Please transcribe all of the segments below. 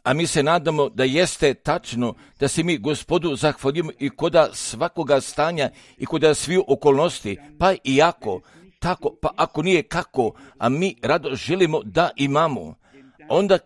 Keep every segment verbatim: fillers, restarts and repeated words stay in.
A mi se nadamo da jeste tačno, da se mi Gospodu zahvalimo i koda svakoga stanja i koda svih okolnosti, pa i ako, tako, pa ako nije kako, a mi rado želimo da imamo, onda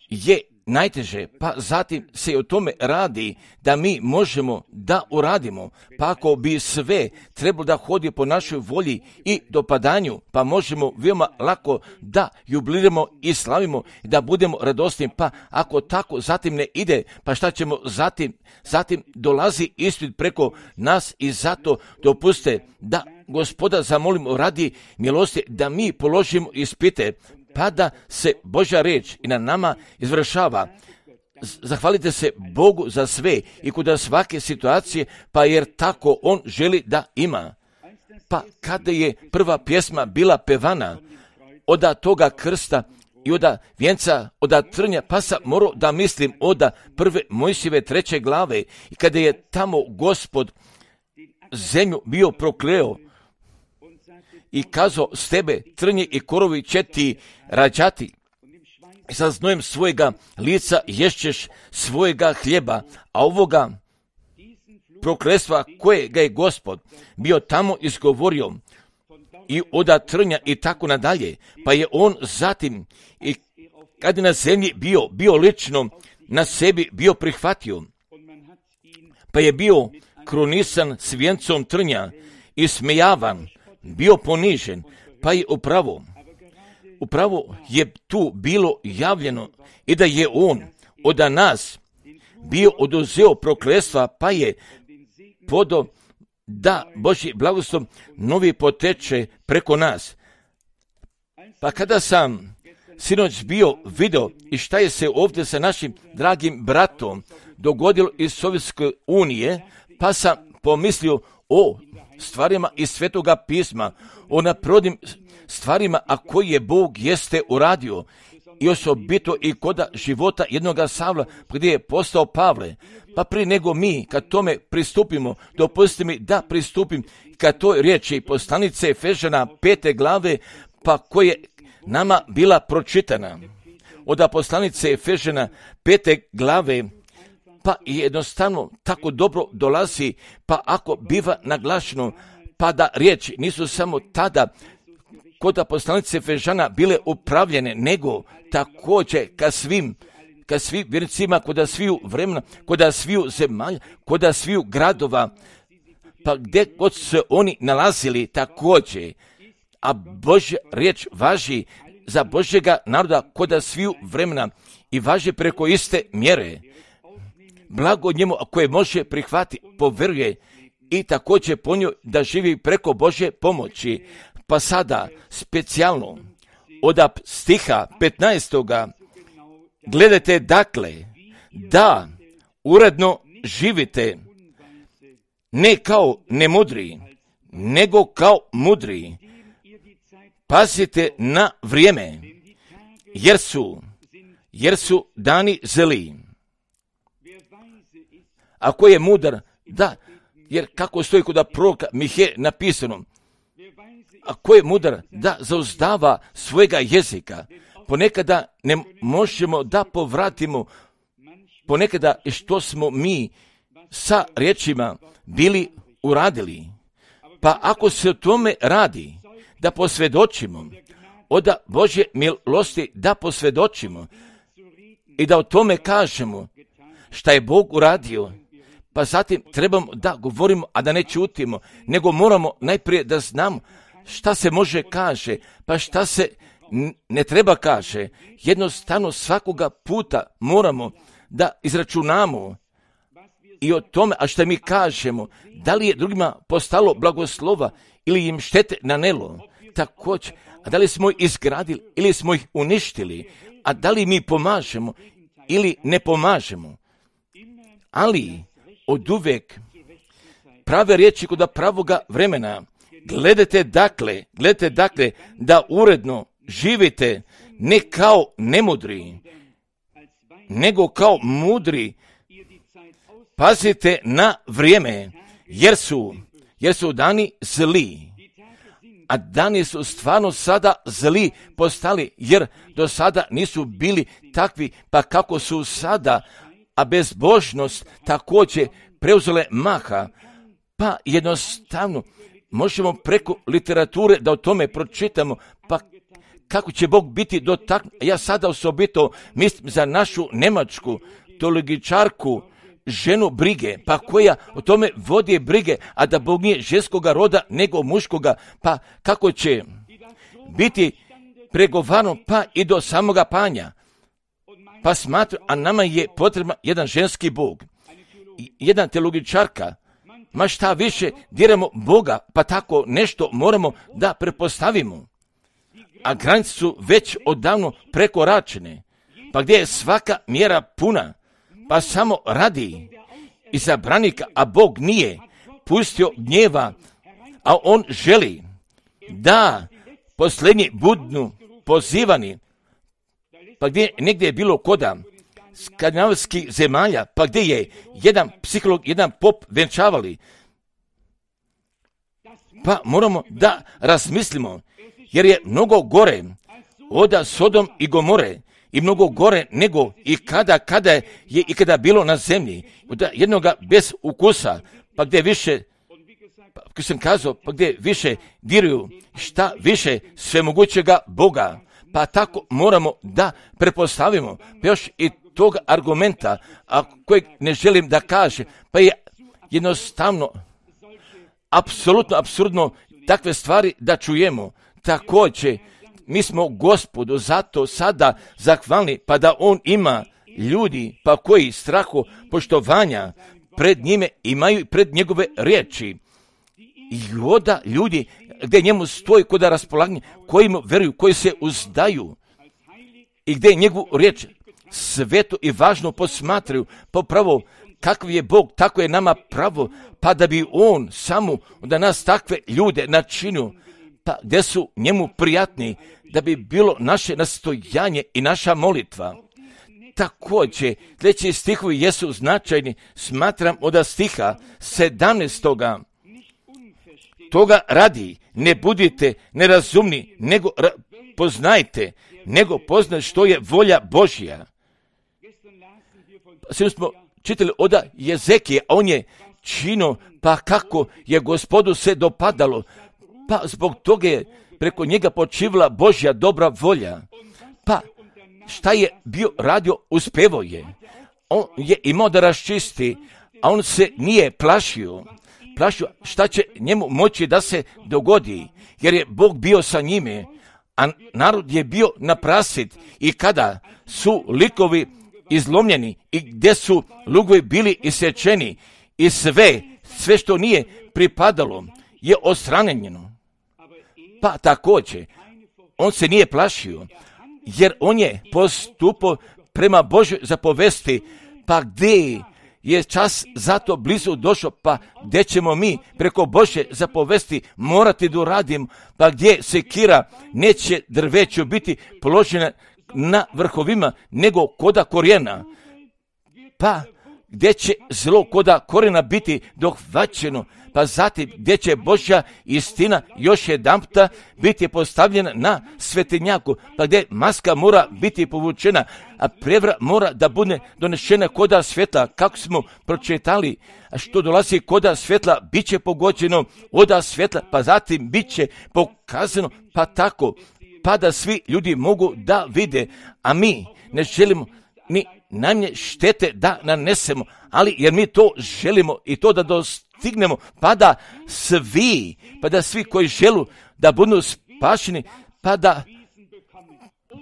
je najteže, pa zatim se o tome radi da mi možemo da uradimo, pa ako bi sve trebalo da hodi po našoj volji i dopadanju, pa možemo veoma lako da jubiliramo i slavimo, da budemo radosni, pa ako tako zatim ne ide, pa šta ćemo zatim? Zatim dolazi ispit preko nas i zato dopuste da Gospoda zamolimo radi milosti da mi položimo ispite, pa da se Božja riječ i na nama izvršava. Zahvalite se Bogu za sve i kod svake situacije, pa jer tako On želi da ima. Pa kada je prva pjesma bila pevana oda toga krsta i oda vjenca, oda trnja, pa sam morao da mislim oda prve Mojsijeve treće glave i kada je tamo Gospod zemlju bio prokleo i kazao s tebe trnje i korovi će ti rađati. I sa znojem svojega lica ješćeš svojega hljeba, a ovoga prokletstva kojega je Gospod bio tamo izgovorio i oda trnja i tako nadalje, pa je on zatim i kad je na zemlji bio, bio lično na sebi bio prihvatio, pa je bio krunisan s vijencom trnja i smejavan, bio ponižen, pa je upravo, upravo je tu bilo javljeno i da je on od nas bio oduzeo prokletstva, pa je podo da Božji blagoslov novi poteče preko nas. Pa kada sam sinoć bio video i šta je se ovdje sa našim dragim bratom dogodilo iz Sovjetske unije, pa sam pomislio o stvarima iz Svetoga pisma, o naprodnim stvarima, a koji je Bog jeste uradio, i osobito i koda života jednoga Savla, gdje je postao Pavle. Pa prije nego mi, kad tome pristupimo, dopustite mi da pristupim kad toj riječi poslanice Efežana pete glave, pa koje nama bila pročitana. Od poslanice Efežana pete glave, pa jednostavno tako dobro dolazi, pa ako biva naglašeno, pa da riječi nisu samo tada kod poslanice Efežana bile upravljene, nego također ka svim, ka svim vjernicima, kod sviju vremena, kod sviju zemalja, kod sviju gradova, pa gdje god se oni nalazili također, a Božja riječ važi za Božjega naroda kod sviju vremena i važi preko iste mjere. Blago njemu koje može prihvatiti, poveruje i također po njoj da živi preko Božje pomoći. Pa sada specijalno od stiha petnaestoga gledajte dakle da uredno živite ne kao nemudri, nego kao mudri. Pazite na vrijeme, jer su, jer su dani zli. Ako je mudar, da, jer kako stoji kod proroka Mihe napisano, ako je mudar da zauzdava svojega jezika, ponekada ne možemo da povratimo ponekada što smo mi sa riječima bili uradili. Pa ako se o tome radi, da posvjedočimo, od Božje milosti da posvjedočimo i da o tome kažemo šta je Bog uradio, pa zatim trebamo da govorimo, a da ne čutimo, nego moramo najprije da znamo šta se može kaže, pa šta se ne treba kaže. Jednostavno svakoga puta moramo da izračunamo i o tome, a šta mi kažemo, da li je drugima postalo blagoslova ili im štete nanelo, također, a da li smo ih izgradili ili smo ih uništili, a da li mi pomažemo ili ne pomažemo. Ali od uvijek prave riječi kod pravoga vremena. Gledajte dakle, gledajte dakle da uredno živite ne kao nemudri, nego kao mudri. Pazite na vrijeme, jer su, jer su dani zli. a dani su stvarno sada zli postali, jer do sada nisu bili takvi, pa kako su sada, a bezbožnost također preuzele maha, pa jednostavno možemo preko literature da o tome pročitamo, pa kako će Bog biti dotaknut. Ja sada osobito mislim za našu njemačku teologičarku, ženu brige, pa koja o tome vodi brige, a da Bog nije ženskoga roda nego muškoga, pa kako će biti pregovarano pa i do samoga panja. Pa smatra, a nama je potreban jedan ženski Bog, jedan teologičarka, ma šta više diramo Boga, pa tako nešto moramo da prepostavimo. A granice su već odavno prekoračene, pa gdje je svaka mjera puna, pa samo radi izabranika, a Bog nije pustio gnjeva, a on želi da posljednji budu pozivani, pa gdje negdje je bilo koda skandinavskih zemalja, pa gdje je jedan psiholog, jedan pop venčavali, pa moramo da razmislimo, jer je mnogo gore od Sodom i Gomore, i mnogo gore nego i kada, kada je i kada bilo na zemlji, od jednoga bez ukusa, pa gdje više, pa kako sam kazao, pa gdje više diruju šta više svemogućega Boga, pa tako moramo da prepostavimo, pa još i tog argumenta, a kojeg ne želim da kaže, pa je jednostavno apsolutno apsurdno takve stvari da čujemo. Također, mi smo Gospodu zato sada zahvalni, pa da on ima ljudi, pa koji strahu poštovanja pred njime imaju pred njegove riječi. I onda ljudi gdje njemu stoji kod raspolaganja, koji mu veruju, koji se uzdaju i gdje njegovu riječ svetu i važno posmatraju, pa pravo kakav je Bog, tako je nama pravo, pa da bi on samo da nas takve ljude načinio, pa gdje su njemu prijatni, da bi bilo naše nastojanje i naša molitva. Također, sljedeći stihovi jesu značajni, smatram od stiha sedamnaestoga. Toga radi, ne budite nerazumni, nego ra- poznajte, nego poznajte što je volja Božja. Sve smo čitali od Jezekije, a on je čino, pa kako je Gospodu se dopadalo, pa zbog toga je preko njega počivala Božja dobra volja. Pa šta je bio radio, uspevo je. On je imao da raščisti, a on se nije plašio. Plašio šta će njemu moći da se dogodi, jer je Bog bio sa njime, a narod je bio naprasit. I kada su likovi izlomljeni i gdje su lugovi bili isječeni i sve, sve što nije pripadalo je odstranjeno. Pa također, on se nije plašio, jer on je postupao prema Božoj zapovesti, pa gdje je čas zato blizu došao, pa gdje ćemo mi preko Božje zapovesti morati da uradimo, pa gdje sekira neće drveću biti položena na vrhovima, nego koda korijena, pa gdje će zlo koda korijena biti dohvaćeno, pa zatim gdje će Božja istina još jedanputa biti postavljena na svetinjaku, pa gdje maska mora biti povučena, a prevara mora da bude donešena koda svjetla, kako smo pročitali, a što dolazi koda svjetla, bit će pogođeno oda svjetla, pa zatim bit će pokazano, pa tako, pa da svi ljudi mogu da vide, a mi ne želimo ni najmanje štete da nanesemo, ali jer mi to želimo i to da dostignemo, pa da svi, pa da svi koji želu da budu spašeni, pa da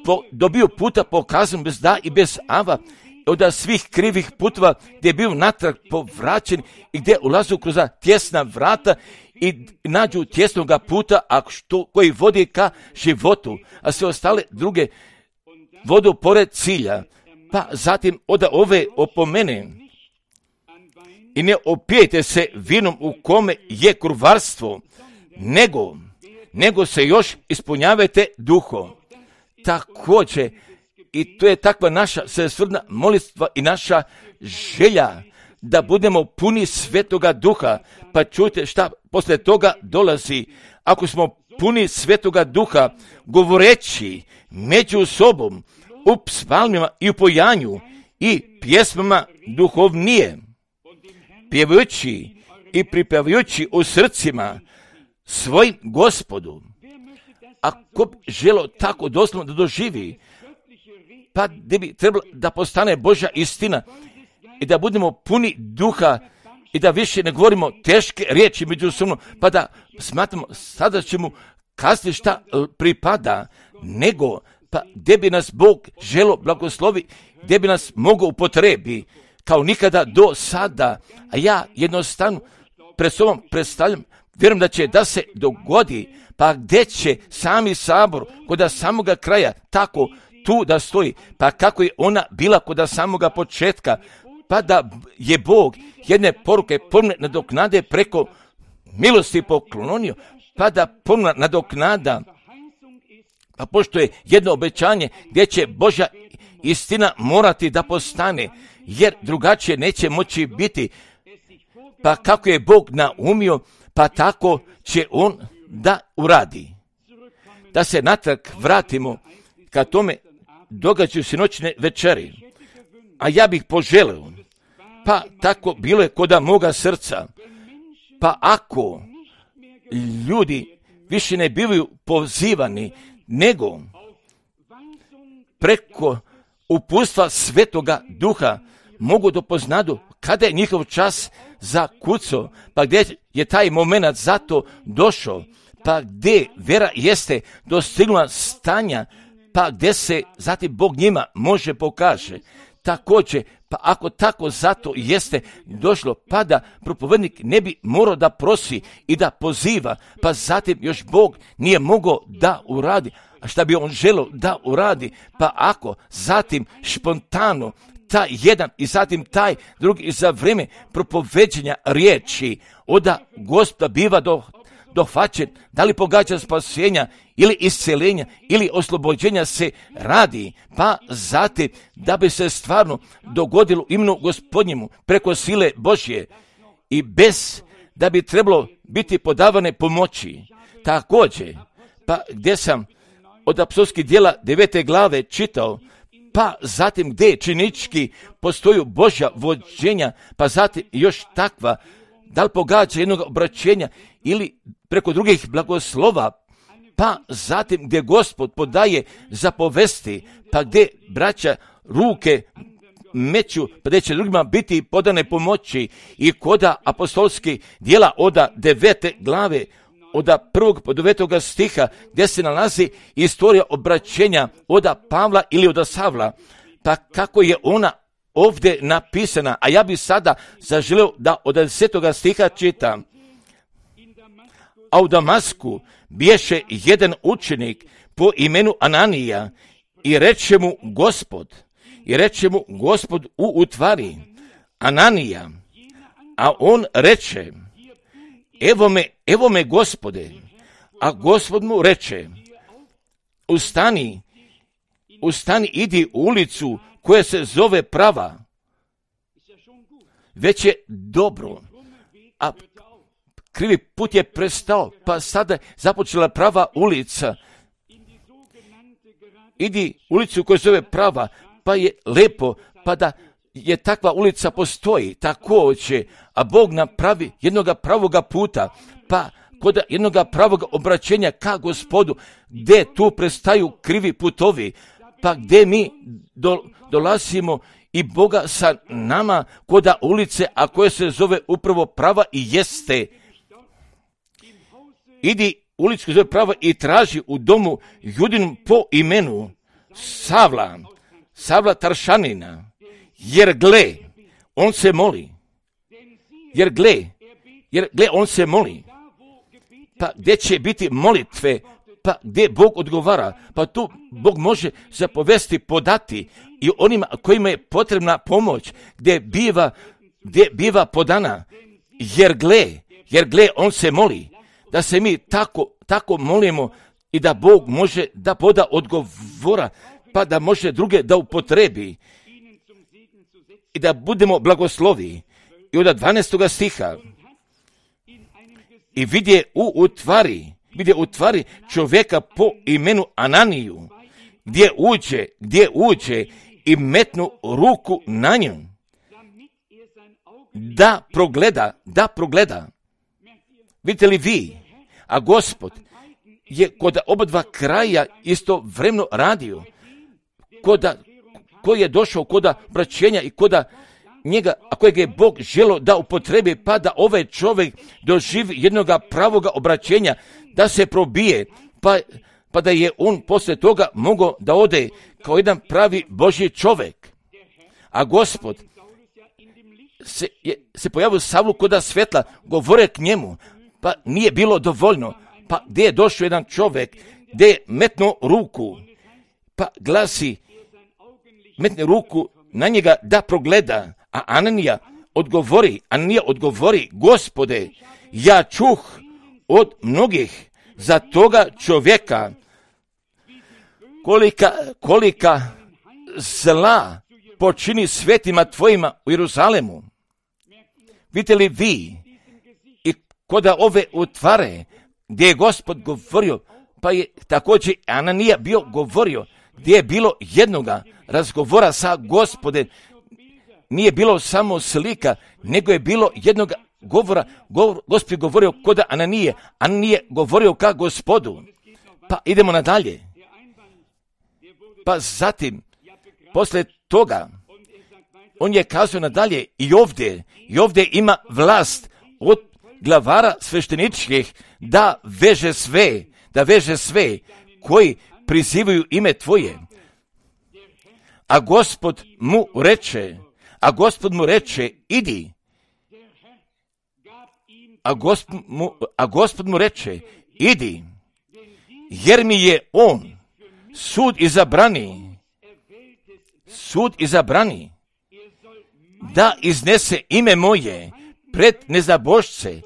po, dobiju puta pokazan bez da i bez ava, od svih krivih puteva gdje je bio natrag povraćen i gdje ulazu kroz tjesna vrata i nađu tjesnoga puta, a što, koji vodi ka životu, a sve ostale druge vodu pored cilja. Pa zatim od ove opomene i ne opijete se vinom u kome je kurvarstvo, nego, nego se još ispunjavajte duhom. Također, i to je takva naša svesrdna molitva i naša želja, da budemo puni Svetoga Duha, pa čujte šta posle toga dolazi. Ako smo puni Svetoga Duha, govoreći među sobom u psalmima i u pojanju i pjesmama duhovnije, pjevajući i pripjevajući u srcima svojim Gospodu. Ako bi želo tako doslovno da doživi, pa da bi trebalo da postane Božja istina i da budemo puni duha i da više ne govorimo teške riječi međusobno, pa da smatramo sada će mu kasnije šta pripada, nego pa gdje bi nas Bog želo blagoslovi, gdje bi nas mogao upotrebi kao nikada do sada. A ja jednostavno pred sobom predstavljam, vjerujem da će da se dogodi, pa gdje će sami sabor kod samoga kraja tako tu da stoji, pa kako je ona bila kod samoga početka, pa da je Bog jedne poruke ponovno nadoknade preko milosti poklonio, pa da ponovno nadoknada, pa pošto je jedno obećanje gdje će Božja istina morati da postane, jer drugačije neće moći biti. Pa kako je Bog naumio, pa tako će on da uradi. Da se natrag vratimo ka tome događaju sinoćne večeri. A ja bih poželio, pa tako bilo je koda moga srca, pa ako ljudi više ne bivaju pozivani, nego preko upustva Svetoga Duha mogu da poznadu kada je njihov čas zakucao, pa gdje je taj moment zato došao, pa gdje vera jeste dostignula stanja, pa gdje se zatim Bog njima može pokaže. Također, pa ako tako zato jeste došlo, pa da propovednik ne bi morao da prosi i da poziva, pa zatim još Bog nije mogao da uradi. A šta bi on želio da uradi? Pa ako zatim špontano taj jedan i zatim taj drugi i za vrijeme propoveđenja riječi oda Gospoda biva do, dohvaćen, da li pogađa spasenja ili isceljenja ili oslobođenja se radi, pa zatim da bi se stvarno dogodilo imenu Gospodnjemu preko sile Božje i bez da bi trebalo biti podavane pomoći. Također, pa gdje sam od apostolskih djela devete glave čitao, pa zatim gdje činički postoju Božja vođenja, pa zatim još takva, da li pogađa jednog obraćenja ili preko drugih blagoslova, pa zatim gdje Gospod podaje zapovesti, pa gdje braća ruke meću, pa gdje će drugima biti podane pomoći i koda apostolskih djela oda devete glave, oda prvog po devetoga stiha, gdje se nalazi istorija obraćenja oda Pavla ili oda Savla, pa kako je ona ovdje napisana, a ja bi sada zaželio da od desetoga stiha čitam. A u Damasku biješe jedan učenik po imenu Ananija i reče mu Gospod, i reče mu Gospod u utvari, Ananija, a on reče, evo me, evo me Gospode, a Gospod mu reče, ustani, ustani, idi u ulicu koja se zove Prava. Već je dobro, a krivi put je prestao, pa sada je započela prava ulica. Idi ulicu koja se zove Prava, pa je lepo, pa da je takva ulica postoji, također, a Bog napravi jednoga pravoga puta, pa kod jednoga pravoga obraćenja ka Gospodu, gdje tu prestaju krivi putovi, pa gdje mi do, dolazimo i Boga sa nama koda ulice, a koje se zove upravo Prava i jeste. Idi ulicu koja se zove Prava i traži u domu Judinom po imenu Savla, Savla Taršanina, jer gle, on se moli, jer gle, jer gle, on se moli, pa gdje će biti molitve, pa gdje Bog odgovara, pa tu Bog može zapovesti podati i onima kojima je potrebna pomoć, gdje biva, gdje biva podana, jer gle, jer gle, on se moli, da se mi tako, tako molimo i da Bog može da poda odgovora, pa da može druge da upotrebi i da budemo blagoslovi. I od dvanaestoga stiha, i vidje u utvari gdje utvari čovjeka po imenu Ananiju, gdje uđe, gdje uđe i metnu ruku na nju, da progleda, da progleda. Vidite li vi, a Gospod je kod oba dva kraja istovremeno radio, koda, koji je došao koda obraćenja i koda njega, a kojeg je Bog želio da upotrebi, pa da ovaj čovjek doživi jednoga pravoga obraćenja, da se probije, pa, pa da je on poslije toga mogao da ode kao jedan pravi Božji čovjek. A Gospod se, je, se pojavio Savlu koda svetla, govore k njemu, pa nije bilo dovoljno, pa gdje je došao jedan čovjek, gdje je metnuo ruku, pa glasi, metne ruku na njega da progleda, a Ananija odgovori, Ananija odgovori, Gospode, ja čuh od mnogih za toga čovjeka, kolika, kolika zla počini svetima tvojima u Jeruzalemu. Vidite li vi, i koda ove utvare, gdje je Gospod govorio, pa je također Ananija bio govorio, gdje je bilo jednoga razgovora sa Gospodem, nije bilo samo slika, nego je bilo jednog govora, govor, Gospod je govorio koda Ananije, Ananije govorio ka Gospodu. Pa idemo nadalje. Pa zatim, poslije toga, on je kazao nadalje, i ovdje, i ovdje ima vlast od glavara svešteničkih da veže sve, da veže sve koji prizivaju ime tvoje. A Gospod mu reče, a Gospod mu reče, idi. A Gospod mu, a Gospod mu reče, idi, jer mi je on sud izabrani, sud izabrani, da iznese ime moje pred nezabošce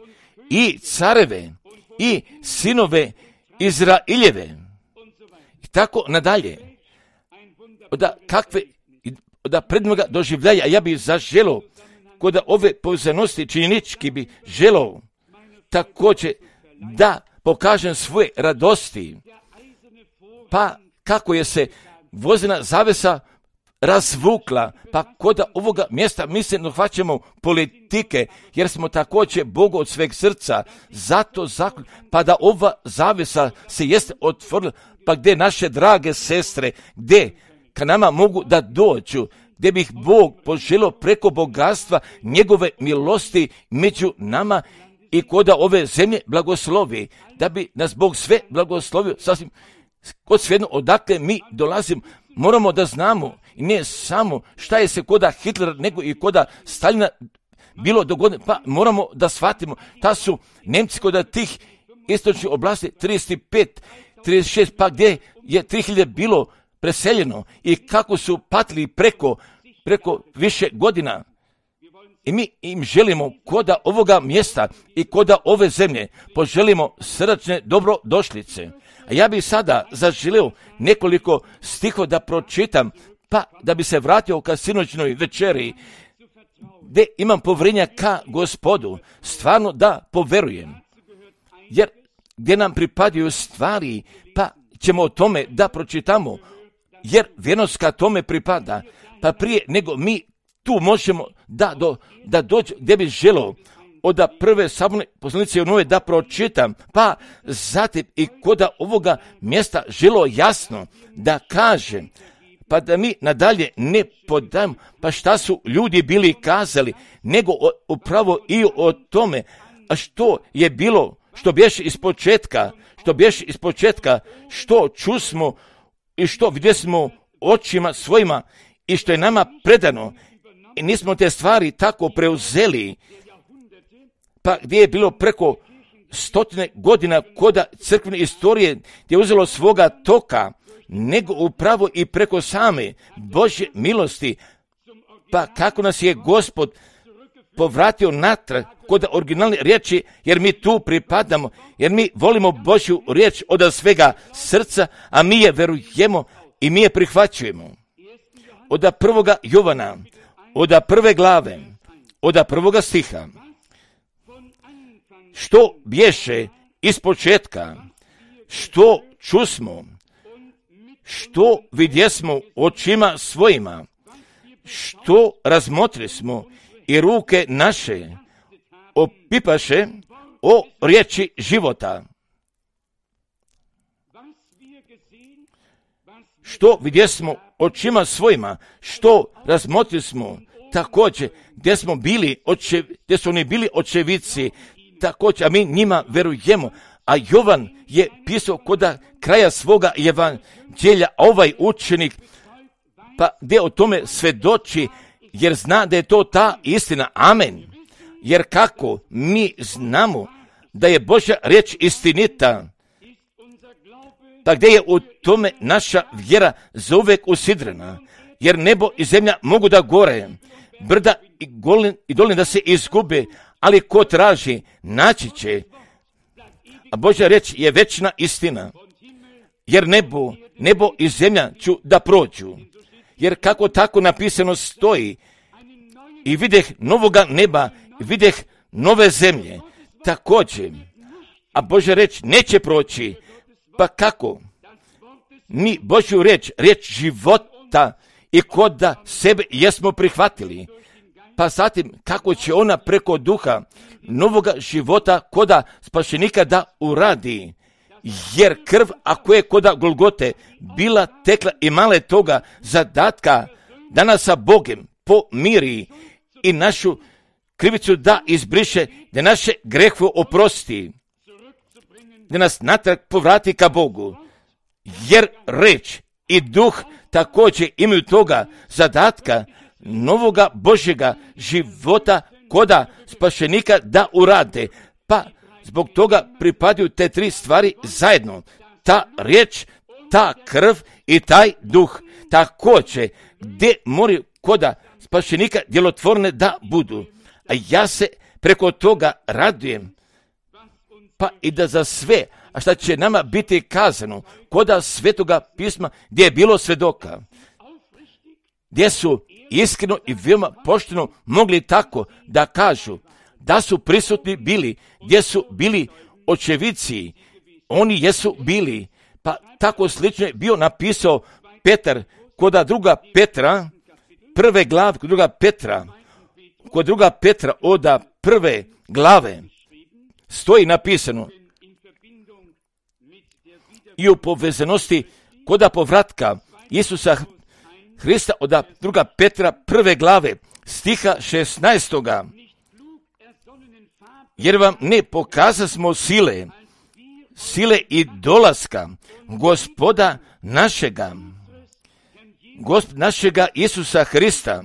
i careve i sinove Izraeljeve. I tako nadalje. Da kakve, da prednoga doživljaja, a ja bih zaželio, kod ove povezanosti činjenički bi želio također da pokažem svoje radosti, pa kako je se vozina zavesa razvukla, pa kod ovoga mjesta mi se dohvaćamo politike, jer smo također Bogu od sveg srca, zato zakon, pa da ova zavesa se jeste otvorila, pa gdje naše drage sestre, gdje ka nama mogu da dođu, gdje bih Bog poželio preko bogatstva njegove milosti među nama i koda ove zemlje blagoslovi, da bi nas Bog sve blagoslovio, sasvim kod svejedno odakle mi dolazimo, moramo da znamo, i ne samo šta je se koda Hitlera, nego i koda Stalina bilo dogodno, pa moramo da shvatimo, ta su Nemci koda tih istočnih oblasti trideset pet, trideset šest, pa gdje je tri hiljade bilo preseljeno i kako su patili preko, preko više godina. I mi im želimo koda ovoga mjesta i koda ove zemlje poželimo srdačne dobrodošlice. A ja bih sada zaželio nekoliko stihova da pročitam, pa da bi se vratio ka sinoćnoj večeri, gdje imam povjerenja ka Gospodu, stvarno da poverujem. Jer gdje nam pripadaju stvari, pa ćemo o tome da pročitamo, jer vjernost ka tome pripada, pa prije nego mi tu možemo da, do, da dođe gdje bi želio od prve saborne poslanice u nove da pročitam, pa zatim i koda ovoga mjesta želo jasno da kaže, pa da mi nadalje ne podajemo, pa šta su ljudi bili kazali, nego o, upravo i o tome, a što je bilo, što bješe iz početka, što bješe iz početka, što čusmo i što vidjesmo očima svojima i što je nama predano, i nismo te stvari tako preuzeli, pa gdje je bilo preko stotine godina koda crkvene istorije gdje je uzelo svoga toka, nego upravo i preko same Božje milosti, pa kako nas je Gospod povratio natrag kod originalne riječi, jer mi tu pripadamo, jer mi volimo Božju riječ od svega srca, a mi je verujemo i mi je prihvaćujemo. Od prvoga Jovana, od prve glave, od prvoga stiha, što bješe iz početka, što čusmo, što vidjesmo očima svojima, što razmotrismo i ruke naše opipaše o riječi života. Što vidjesmo očima svojima, što razmotrismo, također gdje smo bili, oče, gdje su oni bili očevici, također, a mi njima verujemo. A Jovan je pisao koda kraja svoga evanđelja, ovaj učenik, pa gdje o tome svedoči, jer zna da je to ta istina. Amen. Jer kako mi znamo da je Božja riječ istinita, pa gdje je u tome naša vjera zauvijek usidrena, jer nebo i zemlja mogu da gore, brda i, golin, i dolin da se izgube, ali ko traži, naći će. A Božja riječ je večna istina, jer nebo, nebo i zemlja ću da prođu, jer kako tako napisano stoji, i videh novoga neba, i videh nove zemlje, također, a Božja riječ neće proći. Pa kako? Mi Božju riječ, riječ života, i kod da sebe jesmo prihvatili, pa zatim kako će ona preko duha novoga života koda spašenika da uradi, jer krv ako je koda Golgote bila tekla i male toga zadatka da nas sa Bogem pomiri i našu krivicu da izbriše, da naše grehove oprosti, da nas natrag povrati ka Bogu, jer reč i duh također imaju toga zadatka novoga Božjega života koda spašenika da urade. Pa zbog toga pripadaju te tri stvari zajedno. Ta riječ, ta krv i taj duh. Također gdje moraju koda spašenika djelotvorne da budu. A ja se preko toga radujem. Pa i da za sve, a šta će nama biti kazano koda Svetoga pisma gdje je bilo svedoka, gdje su iskreno i veoma pošteno mogli tako da kažu da su prisutni bili, gdje su bili očevici, oni jesu bili. Pa tako slično je bio napisao Petar koda druga Petra, prve glave, kod druga Petra, kod druga Petra oda prve glave stoji napisano i u povezanosti koda povratka Isusa Hrista oda druga Petra prve glave stiha šesnaestoga. Jer vam ne pokazasmo sile, sile i dolaska Gospoda našega, Gospod našega Isusa Hrista,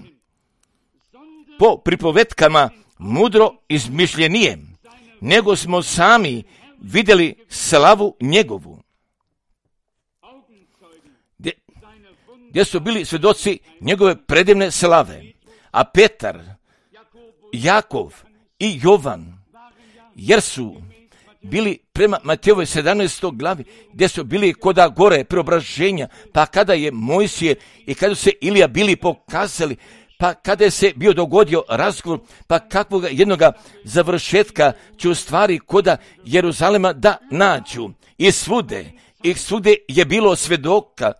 po pripovetkama mudro izmišljenije, nego smo sami vidjeli slavu njegovu. Gdje, gdje su bili svjedoci njegove predivne slave. A Petar, Jakov i Jovan, jer su bili prema Matejovoj sedamnaestoj glavi, gdje su bili koda gore preobraženja, pa kada je Mojsije i kada su se Ilija bili pokazali, pa kada je se bio dogodio razgovor, pa kakvog jednoga završetka će u stvari koda Jeruzalema da nađu. I svude, i svude je bilo svedoka,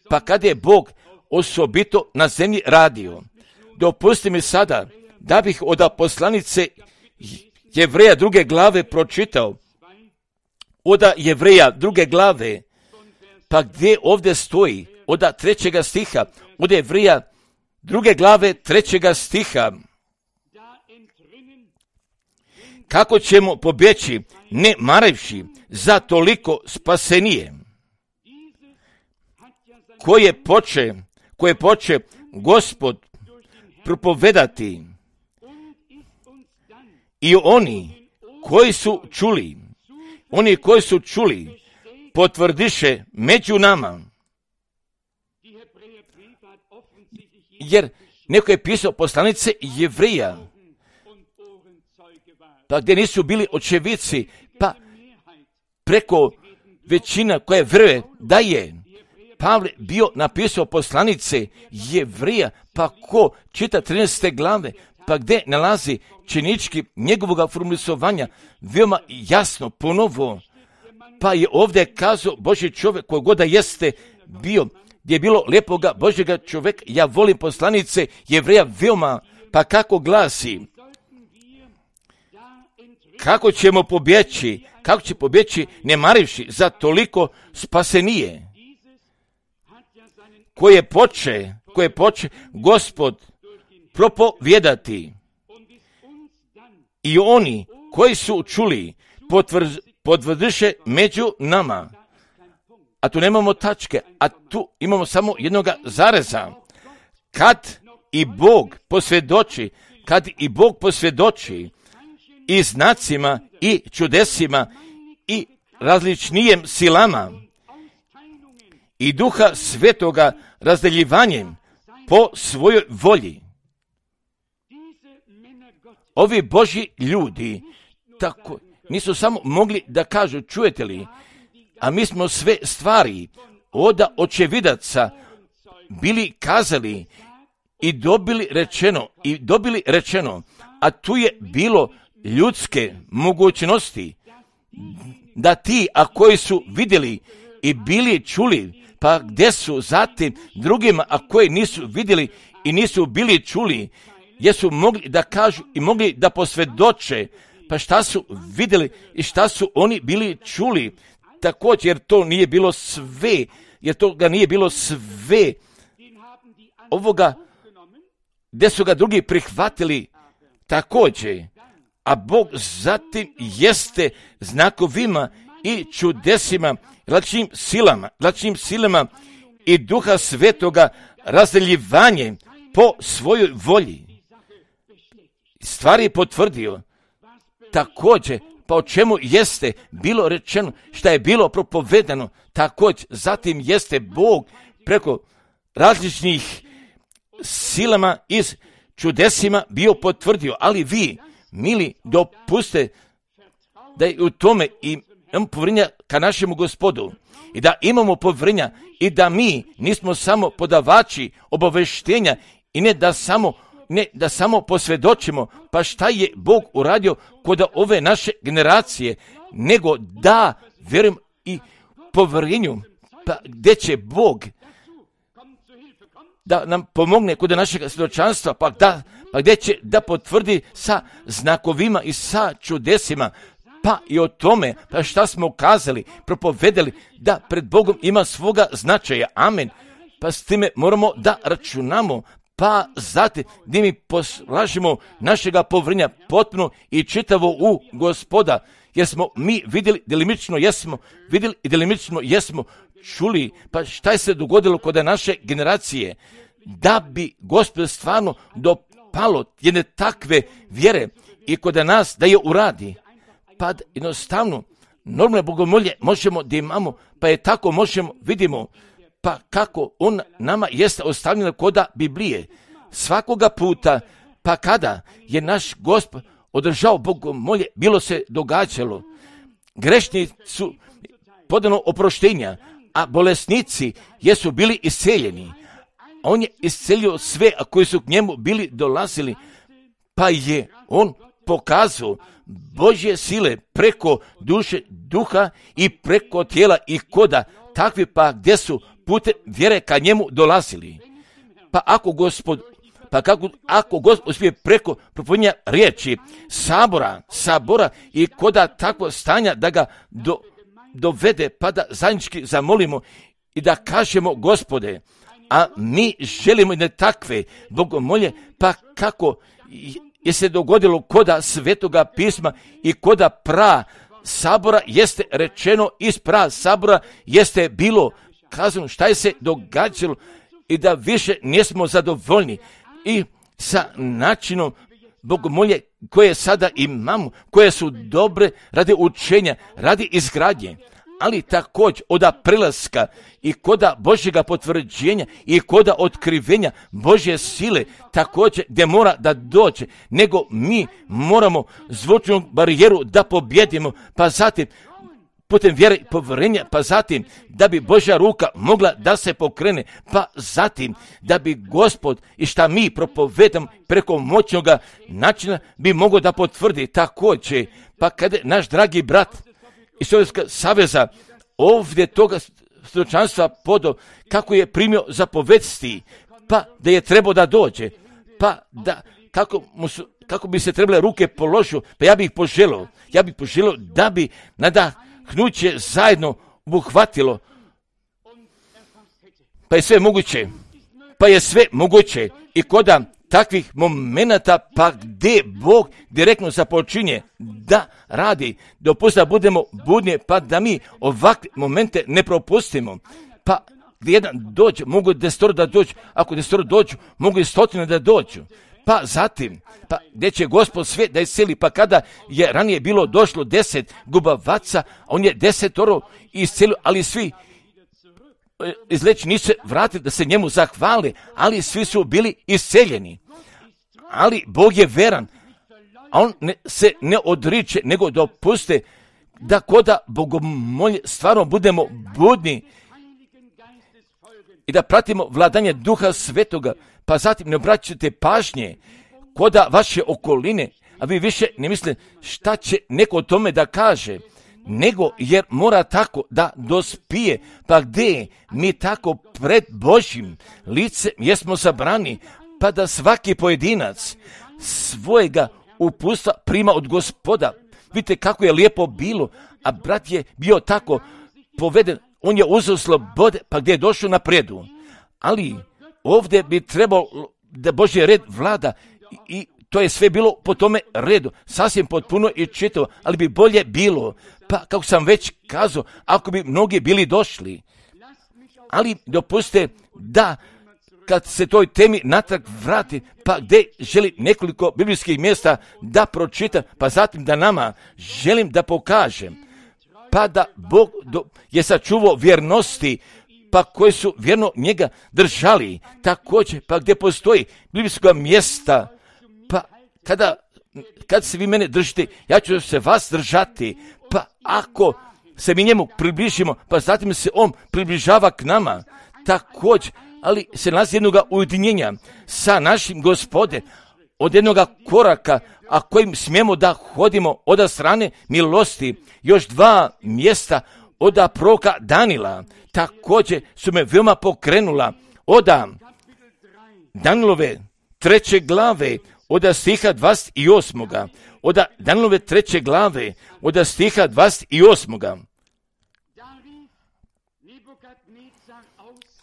pa kada je Bog osobito na zemlji radio. Dopusti mi sada da bih od poslanice Jevreja druge glave pročitao, od Jevreja druge glave, pa gdje ovdje stoji, od trećega stiha, od Jevreja druge glave trećega stiha. Kako ćemo pobjeći, ne maravši za toliko spasenije, koje poče, koje poče Gospod propovedati, i oni koji su čuli, oni koji su čuli, potvrdiše među nama. Jer neko je pisao poslanice Jevreja, pa gdje nisu bili očevici, pa preko većina koja vjeruje da je Pavle bio napisao poslanice Jevreja, pa ko čita trinaeste glave, pa gdje nalazi činički njegovog formulisovanja veoma jasno ponovo, Pa je ovdje kazao Božji čovjek koji god da jeste bio, gdje je bilo lijepoga Božjega čovjeka. Ja volim poslanice Jevreja veoma, pa kako glasi, kako ćemo pobjeći, kako će pobjeći ne marivši za toliko spasenije, koje poče, koje poče Gospod propovjedati. I oni koji su čuli potvrz, potvrdiše među nama. A tu nemamo tačke, a tu imamo samo jednoga zareza. Kad i Bog posvjedoči, kad i Bog posvjedoči i znacima i čudesima i različnijem silama i Duha Svetoga razdeljivanjem po svojoj volji. Ovi Božji ljudi tako nisu samo mogli da kažu, čujete li, a mi smo sve stvari oda očevidaca bili kazali i dobili rečeno, i dobili rečeno, a tu je bilo ljudske mogućnosti da ti, a koji su vidjeli i bili čuli, pa gdje su zatim drugima, a koji nisu vidjeli i nisu bili čuli, jesu mogli da kažu i mogli da posvjedoče, pa šta su vidjeli i šta su oni bili čuli, također jer to nije bilo sve, jer to ga nije bilo sve ovoga, gdje su ga drugi prihvatili također, a Bog zatim jeste znakovima i čudesima, različitim silama, različitim silama i Duha Svetoga razdeljivanje po svojoj volji. Stvari je potvrdio također, pa o čemu jeste bilo rečeno, šta je bilo propovedano, također zatim jeste Bog preko različnih silama i čudesima bio potvrdio, ali vi, mili, dopuste da je u tome i imamo povjerenja ka našemu Gospodu i da imamo povjerenja i da mi nismo samo podavači obaveštenja i ne da samo ne da samo posvjedočimo pa šta je Bog uradio kod ove naše generacije, nego da vjerujem i povjerenju, pa gdje će Bog da nam pomogne kod našeg svjedočanstva, pa, da, pa gdje će da potvrdi sa znakovima i sa čudesima, pa i o tome, pa šta smo kazali, propovedali, da pred Bogom ima svoga značaja. Amen. Pa s time moramo da računamo, pa zatim gdje mi poslažemo našega povjerenja potpuno i čitavo u Gospoda, jer smo mi vidjeli, delimično jesmo, vidjeli i delimično jesmo čuli, pa šta je se dogodilo kod naše generacije, da bi Gospod stvarno dopalo jedne takve vjere i kod nas da je uradi, pa jednostavno normalne bogomolje možemo da imamo, pa je tako možemo, vidimo, pa kako on nama jeste ostavljeno koda Biblije. Svakoga puta, pa kada je naš Gospod održao bogomolje, bilo se događalo. Grešni su podano oproštenja, a bolesnici jesu bili isceljeni. On je iscelio sve, a koji su k njemu bili dolazili, pa je on pokazao Božje sile preko duše, duha i preko tijela i koda, takvi pa gdje su putem vjere ka njemu dolazili. Pa ako Gospod, pa kako, ako Gospod uspije preko propovedanja riječi, sabora, sabora i koda takvo stanja da ga do, dovede, pa da zajednički zamolimo i da kažemo Gospode, a mi želimo i ne takve bogomolje, pa kako je se dogodilo koda Svetoga pisma i koda pra sabora jeste rečeno, iz pra sabora jeste bilo kazano šta je se događalo i da više nismo zadovoljni i sa načinom bogomolje koje sada imamo, koje su dobre radi učenja, radi izgradnje, ali također od prelaska i koda Božjega potvrđenja i koda otkrivenja Božje sile, također gdje mora da dođe, nego mi moramo zvučnu barijeru da pobjedimo, pa zatim putem vjere i povjerenja, pa zatim da bi Božja ruka mogla da se pokrene, pa zatim da bi Gospod i šta mi propovedamo preko moćnoga načina bi mogao da potvrdi također, pa kada naš dragi brat iz Sovjetskog saveza ovdje toga svjedočanstva podo kako je primio zapovesti, pa da je trebao da dođe, pa da kako, mu su, kako bi se trebale ruke položio, pa ja bih poželio, ja bih poželio da bi nadahnuće zajedno obuhvatilo, pa je sve moguće, pa je sve moguće i koda takvih momenata, pa gdje Bog direktno započinje da radi, dopusti da budemo budni, pa da mi ovakve momente ne propustimo, pa gdje jedan dođe, mogu desetoro da dođu, ako desetoro dođu, mogu i stotine da dođu, pa zatim, pa gdje će Gospod sve da isceli, pa kada je ranije bilo došlo deset gubavaca, on je desetoro iscelio, ali svi izleći nisu se vratili da se njemu zahvali, ali svi su bili isceljeni. Ali Bog je veran, a on ne, se ne odriče, nego dopuste da koda bogomolje stvarno budemo budni i da pratimo vladanje Duha Svetoga, pa zatim ne obraćate pažnje koda vaše okoline, a vi više ne mislite šta će neko o tome da kaže, nego jer mora tako da dospije, pa gdje mi tako pred Božjim licem jesmo sabrani, pa da svaki pojedinac svojega upustva prima od Gospoda. Vidite kako je lijepo bilo, a brat je bio tako poveden, on je uzeo slobode, pa gdje je došao napredu. Ali ovdje bi trebalo da Božji red vlada i to je sve bilo po tome redu, sasvim potpuno i čitavo, ali bi bolje bilo, pa kako sam već kazao, ako bi mnogi bili došli. Ali dopustite da kad se toj temi natrag vrati, pa gdje želi nekoliko biblijskih mjesta da pročita, pa zatim da nama želim da pokažem, pa da Bog do, je sačuvao vjernosti, pa koji su vjerno njega držali, također, pa gdje postoji biblijska mjesta, pa kada, kad se vi mene držite, ja ću se vas držati, pa ako se mi njemu približimo, pa zatim se on približava k nama, također, ali se nalazi jednoga ujedinjenja sa našim Gospode, od jednoga koraka, a kojim smijemo da hodimo od strane milosti, još dva mjesta od proroka Danila, također su me veoma pokrenula, od Danilove treće glave, od stiha dvadeset osam. Od Danilove treće glave, od stiha dvadeset osam.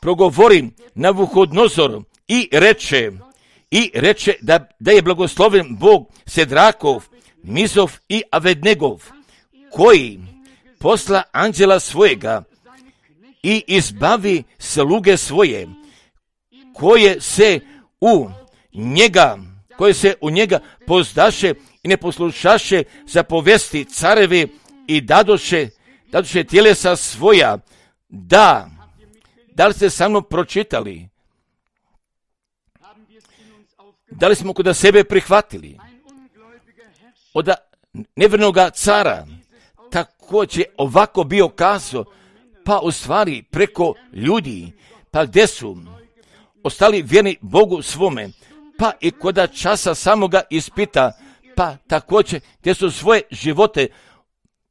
Progovori Navuhodnozor i reče, i reče da, da je blagosloven Bog Sedrakov, Mizov i Avednegov, koji posla anđela svojega i izbavi sluge svoje, koje se u njega, koje se u njega pozdaše i ne poslušaše zapovesti carevi i dadoše, dadoše tjelesa svoja, da, da li ste sa mnom pročitali? Da li smo kod sebe prihvatili? Od nevjernoga cara također ovako bio kazao, pa u stvari preko ljudi, pa gdje su ostali vjerni Bogu svome, pa i kod časa samoga ispita, pa također gdje su svoje živote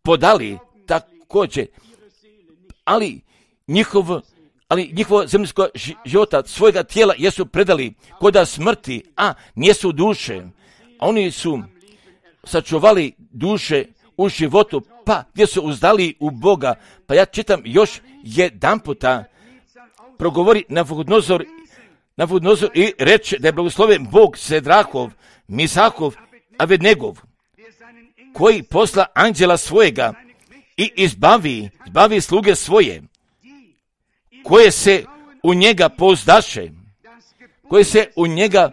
podali, također, ali njihov ali njihovo zemljsko života, svojega tijela jesu predali koda smrti, a nijesu duše. Oni su sačuvali duše u životu, pa gdje su uzdali u Boga. Pa ja čitam još jedan puta, progovori Navuhodnozor, Navuhodnozor i reče da je blagosloven Bog Sedrakov, Misakov, Avednegov, koji posla anđela svojega i izbavi, izbavi sluge svoje, koje se u njega pouzdaše, koje se u njega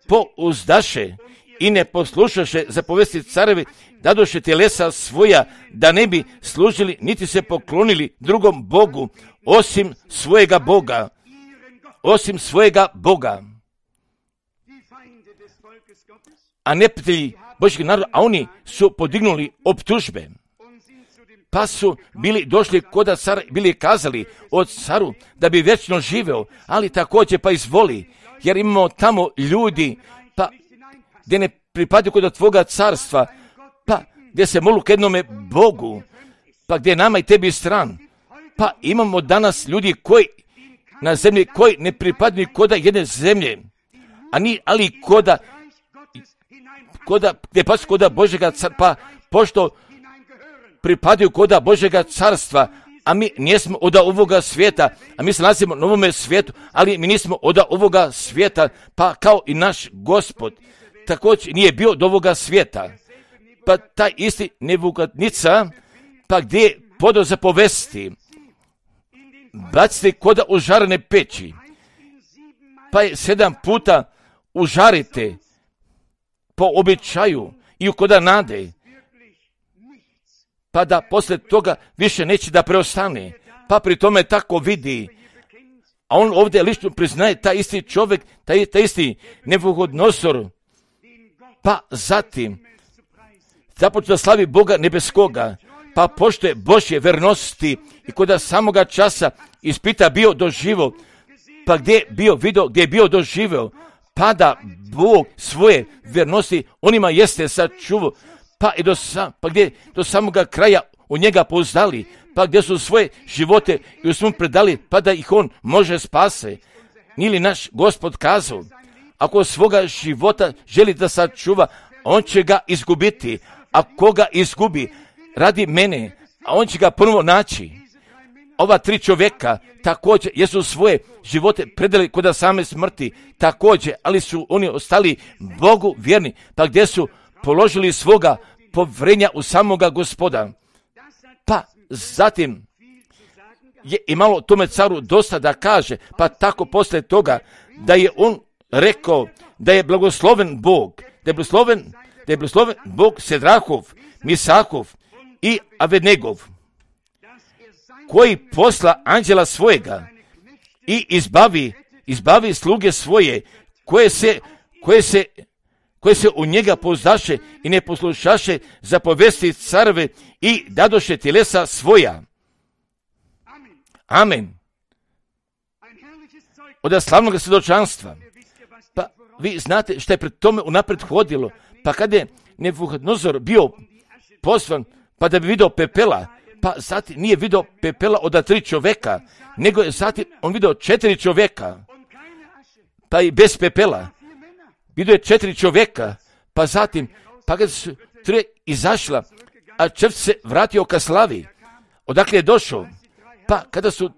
pouzdaše i ne poslušaše zapovesti carevi, dadoše tjelesa svoja, da ne bi služili niti se poklonili drugom Bogu, osim svojega Boga, osim svojega Boga. A neprijatelji Božjeg naroda, a oni su podignuli optužbe, pa su bili došli kod cara, bili kazali od caru da bi vječno živeo, ali također pa izvoli, jer imamo tamo ljudi, pa gdje ne pripadaju kod tvoga carstva, pa gdje se molu k jednome Bogu, pa gdje je nama i tebi stran. Pa imamo danas ljudi koji na zemlji koji ne pripadaju koda jedne zemlje, a ni, ali koda, koda, gdje pa koda Božega carstva, pa pošto pripadaju koda Božega carstva, a mi nismo od ovoga svijeta, a mi se nalazimo na ovome svijetu, ali mi nismo od ovoga svijeta, pa kao i naš Gospod također nije bio od ovoga svijeta. Pa taj isti Nebukadnica, pa gdje je podao zapovesti, bacite koda užarene peći, pa je sedam puta užarite po običaju i u koda nade, pa da poslije toga više neće da preostane. Pa pri tome tako vidi, a on ovdje lično priznaje, taj isti čovjek, taj, taj isti Nabukodonozor, pa zatim započne da slavi Boga nebeskoga, pa pošto je Božje vernosti i koda samoga časa ispita bio doživo, pa gdje je bio video, gdje je bio doživeo, pa da Bog svoje vernosti onima jeste sačuvao, pa i do, sam, pa gdje do samoga kraja u njega pouzdali, pa gdje su svoje živote i u svom predali, pa da ih on može spase. Nije li naš Gospod kazao, ako svoga života želi da sačuva, on će ga izgubiti, a koga izgubi radi mene, a on će ga ponovo naći. Ova tri čovjeka također jesu svoje živote predali kod same smrti, također, ali su oni ostali Bogu vjerni, pa gdje su položili svoga povjerenja u samoga Gospoda. Pa zatim je imalo tome caru dosta da kaže, pa tako poslije toga da je on rekao da je blagosloven Bog, da je blagosloven, da je blagosloven Bog Sedrahov, Misahov i Abednegov, koji posla anđela svojega i izbavi, izbavi sluge svoje, koje se, koje se, koje se u njega pouzdaše i ne poslušaše zapovesti carve i dadoše tjelesa svoja. Amen. Od slavnog svjedočanstva. Pa vi znate što je pred tome unaprijed hodilo. Pa kada je Nebukadnezar bio poslan, pa da bi vidio pepela, pa zatim nije vidio pepela od tri čovjeka, nego je zatim on vidio četiri čovjeka, pa i bez pepela. Vidio je četiri čovjeka, pa zatim, pa kada su tri izašla, a četvrti se vratio ka slavi. Odakle je došao? Pa kada su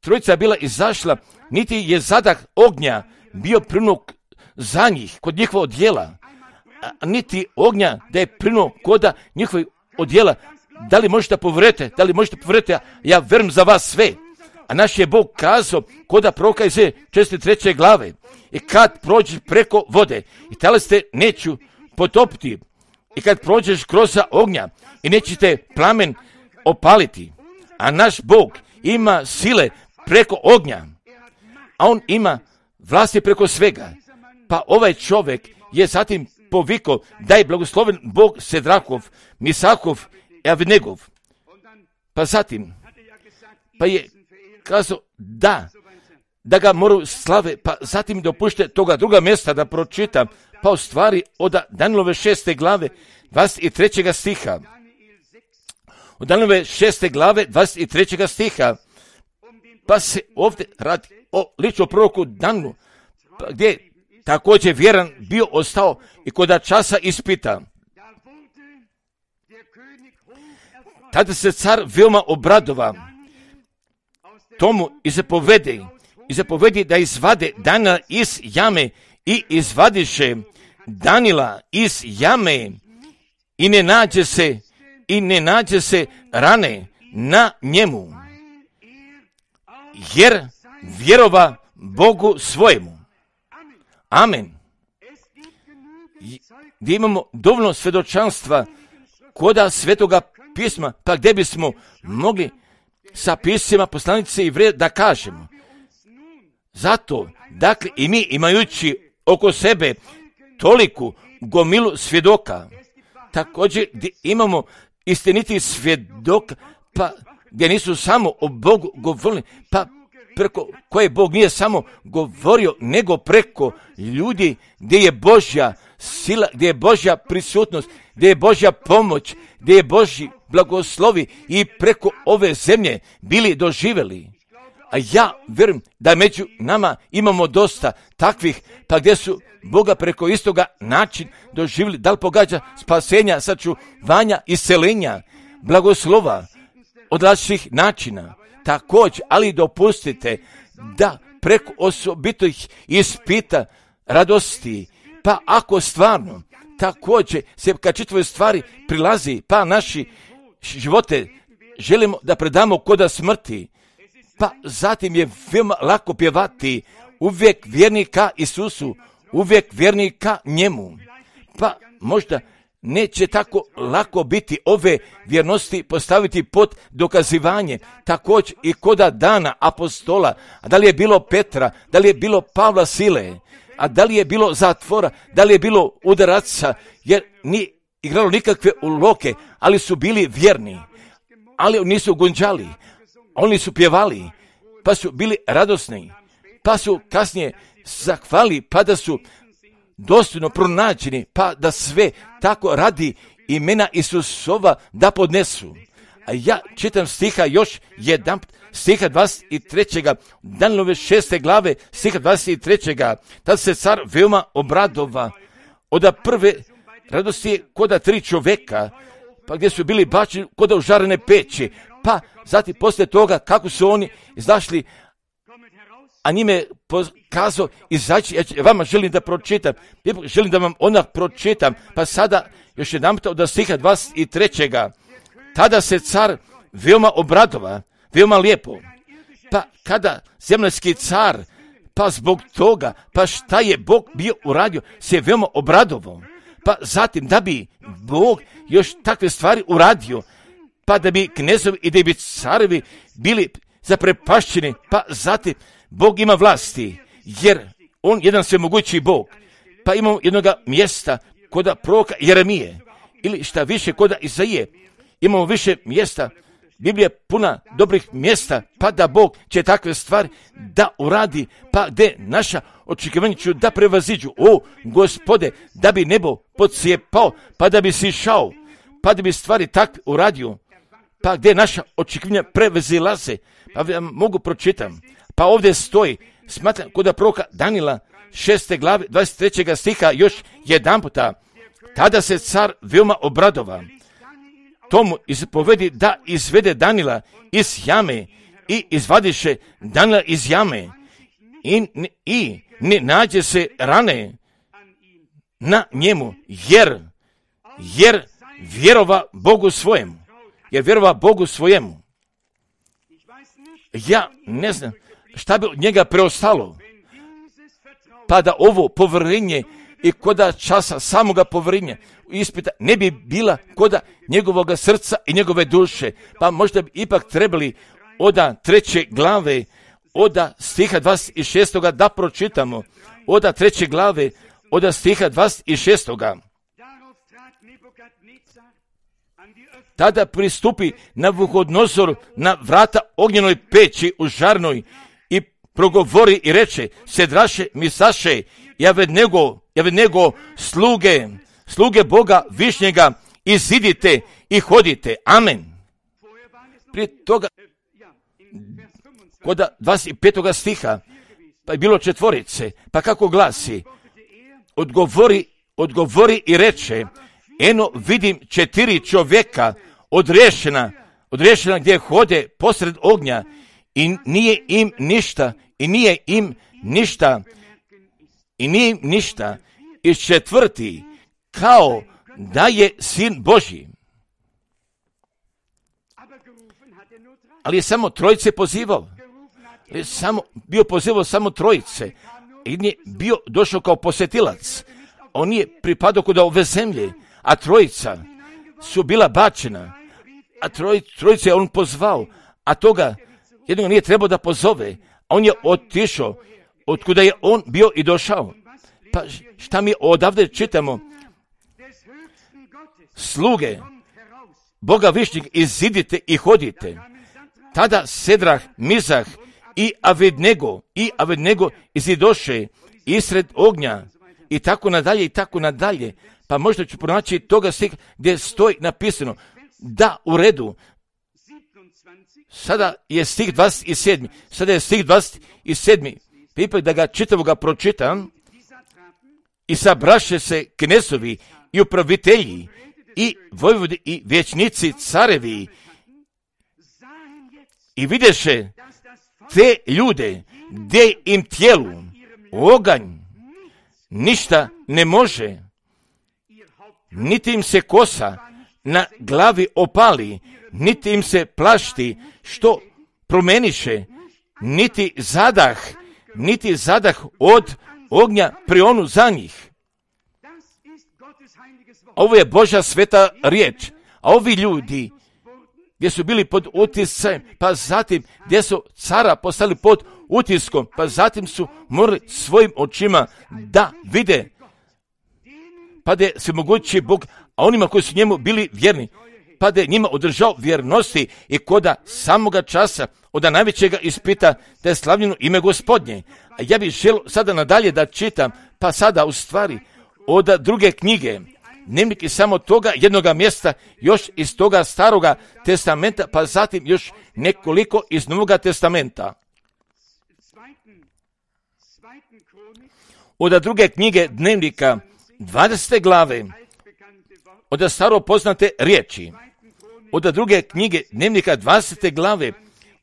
trojica bila izašla, niti je zadah ognja bio prinuk za njih, kod njihova odjela, a niti ognja da je prinuo koda njihovih odjela. Da li možete povjerujete? Da li možete povjerujete? Ja verujem za vas sve. A naš je Bog kazao koda proroka Izaije četrdeset treće glave. I kad prođeš preko vode i tale ste neću potopiti. I kad prođeš kroz ognja i nećete plamen opaliti. A naš Bog ima sile preko ognja. A on ima vlasti preko svega. Pa ovaj čovjek je zatim povikao da je blagosloven Bog Sedrahov, Misahov i Abednegov. Pa zatim, pa je kazao da, da ga moraju slave, pa zatim dopušte toga druga mjesta da pročitam, pa u stvari od Danielove šeste glave, dvadeset trećeg stiha. Od Danielove šeste glave, dvadeset trećeg stiha, pa se ovdje radi o ličnom proroku Danielu, pa gdje također vjeran bio ostao i kod časa ispita. Tada se car veoma obradova tomu i zapovedi, i zapovedi da izvade Daniela iz jame i izvadiše Daniela iz jame i ne nađe se, i ne nađe se rane na njemu, jer vjerova Bogu svojemu. Amen. Gdje imamo dovoljno svjedočanstva koda Svetoga pisma, pa gdje bismo mogli sa pismima poslanice i vred da kažemo. Zato, dakle, i mi imajući oko sebe toliku gomilu svjedoka, također gdje imamo istiniti svjedoka, pa gdje nisu samo o Bogu govorili, pa preko koje Bog nije samo govorio, nego preko ljudi gdje je Božja sila, gdje je Božja prisutnost, gdje je Božja pomoć, gdje je Božji blagoslovi i preko ove zemlje bili doživjeli. A ja vjerujem da među nama imamo dosta takvih, pa gdje su Boga preko istoga način doživjeli, da li pogađa spasenja, sačuvanja, iscelenja, blagoslova od različitih načina. Također, ali dopustite da preko osobitih ispita radosti, pa ako stvarno također se kad čitave stvari prilazi, pa naši živote želimo da predamo koda smrti, pa zatim je veoma lako pjevati uvijek vjernika Isusu, uvijek vjernika njemu. Pa možda neće tako lako biti ove vjernosti postaviti pod dokazivanje, također i koda dana apostola, a da li je bilo Petra, da li je bilo Pavla Sile, a da li je bilo zatvora, da li je bilo udaraca, jer nije igralo nikakve uloke, ali su bili vjerni, ali nisu gunđali, oni su pjevali, pa su bili radosni, pa su kasnije zahvali, pa da su dostojno pronađeni, pa da sve tako radi imena Isusova da podnesu. A ja čitam stiha još jedan, stiha dvadeset tri. Danilove šeste glave, stiha dvadeset tri. Tad se car veoma obradova. Oda prve radosti je koda tri čovjeka, pa gdje su bili bačeni koda u žarene peći, pa zatim poslije toga kako su oni izašli, a njime pokazao izaći, ja vama želim da pročitam, želim da vam onak pročitam, pa sada još jedan od stiha dvadeset tri. Tada se car veoma obradova, veoma lijepo, pa kada zemaljski car, pa zbog toga, pa šta je Bog bio uradio, se veoma obradovao, pa zatim da bi Bog još takve stvari uradio, pa da bi knezovi i da bi carevi bili zaprepašćeni, pa zatim Bog ima vlasti, jer on jedan svemogući Bog. Pa imamo jednoga mjesta koda proroka Jeremije, ili šta više koda Izaije. Imamo više mjesta, Biblija je puna dobrih mjesta, pa da Bog će takve stvari da uradi, pa gdje naša očekivanja ću da prevaziđu. O, Gospode, da bi nebo podsjepao, pa da bi sišao, pa da bi stvari takve uradio, pa gdje naša očekivanja prevazilaze, pa vam mogu pročitam. Pa ovdje stoji, smatram kod proroka Danila, šeste glave, dvadeset trećeg stiha, još jedan puta. Tada se car veoma obradova. Tomu izpovedi da izvede Danila iz jame i izvadiše Danila iz jame i, i ne nađe se rane na njemu, jer, jer vjerova Bogu svojemu. Jer vjerova Bogu svojemu. Ja ne znam šta bi od njega preostalo, pa da ovo povjerenje i koda časa samoga povjerenja ispita ne bi bila koda njegovoga srca i njegove duše, pa možda bi ipak trebali oda treće glave, oda stiha dvadeset šest. da pročitamo, oda treće glave, oda stiha dvadeset šest. Tada pristupi Navuhodnozor na vrata ognjenoj peći u žarnoj i progovori i reče: Sedraše, Misaše, Javednego, Javednego, sluge, sluge Boga Višnjega, izidite i hodite. Amen. Prije toga, kod dvadeset petog stiha, pa je bilo četvorice, pa kako glasi? Odgovori, odgovori i reče: Eno vidim četiri čovjeka odriješena, odriješena gdje hode posred ognja i nije im ništa, i nije im ništa, i nije im ništa. I četvrti, kao da je sin Božji. Ali je samo trojice pozivao. Je samo, bio pozivao samo trojice. I nije bio došao kao posjetilac. On nije pripadao kod ove zemlje, a trojica su bila bačena. A troj, trojice je on pozvao, a toga jednog nije trebao da pozove. A on je otišao, otkuda je on bio i došao. Pa šta mi odavde čitamo? Sluge Boga Višnjeg, izidite i hodite. Tada Sedrah, Mizah i Avednego, i Avednego izidoše isred ognja, i tako nadalje i tako nadalje. Pa možda ću pronaći toga stiha gdje stoji napisano da u redu. Sada je stih dvadeset sedam. Sada je stih dvadeset sedam. Pa ipak da ga čitavoga pročitam. I sabraše se knezovi i upravitelji i vojvodi i vječnici carevi i videše te ljude gdje im tijelu oganj ništa ne može, niti im se kosa na glavi opali, niti im se plašti što promeniše, niti zadah, niti zadah od ognja prionu za njih. Ovo je Božja sveta riječ, a ovi ljudi gdje su bili pod utiscem, pa zatim gdje su cara postali pod utiskom, pa zatim su morali svojim očima da vide, pa da je svemogući Bog, a onima koji su njemu bili vjerni, pa da je njima održao vjernosti i koda samoga časa, od najvećega ispita, da je slavljeno ime Gospodnje. A ja bih želio sada nadalje da čitam, pa sada u stvari od druge knjige, dnevnik iz samo toga jednoga mjesta, još iz toga staroga testamenta, pa zatim još nekoliko iz Novoga testamenta. Od druge knjige dnevnika, dvadesete glave, od staro poznate riječi. Od druge knjige dnevnika, dvadesete glave,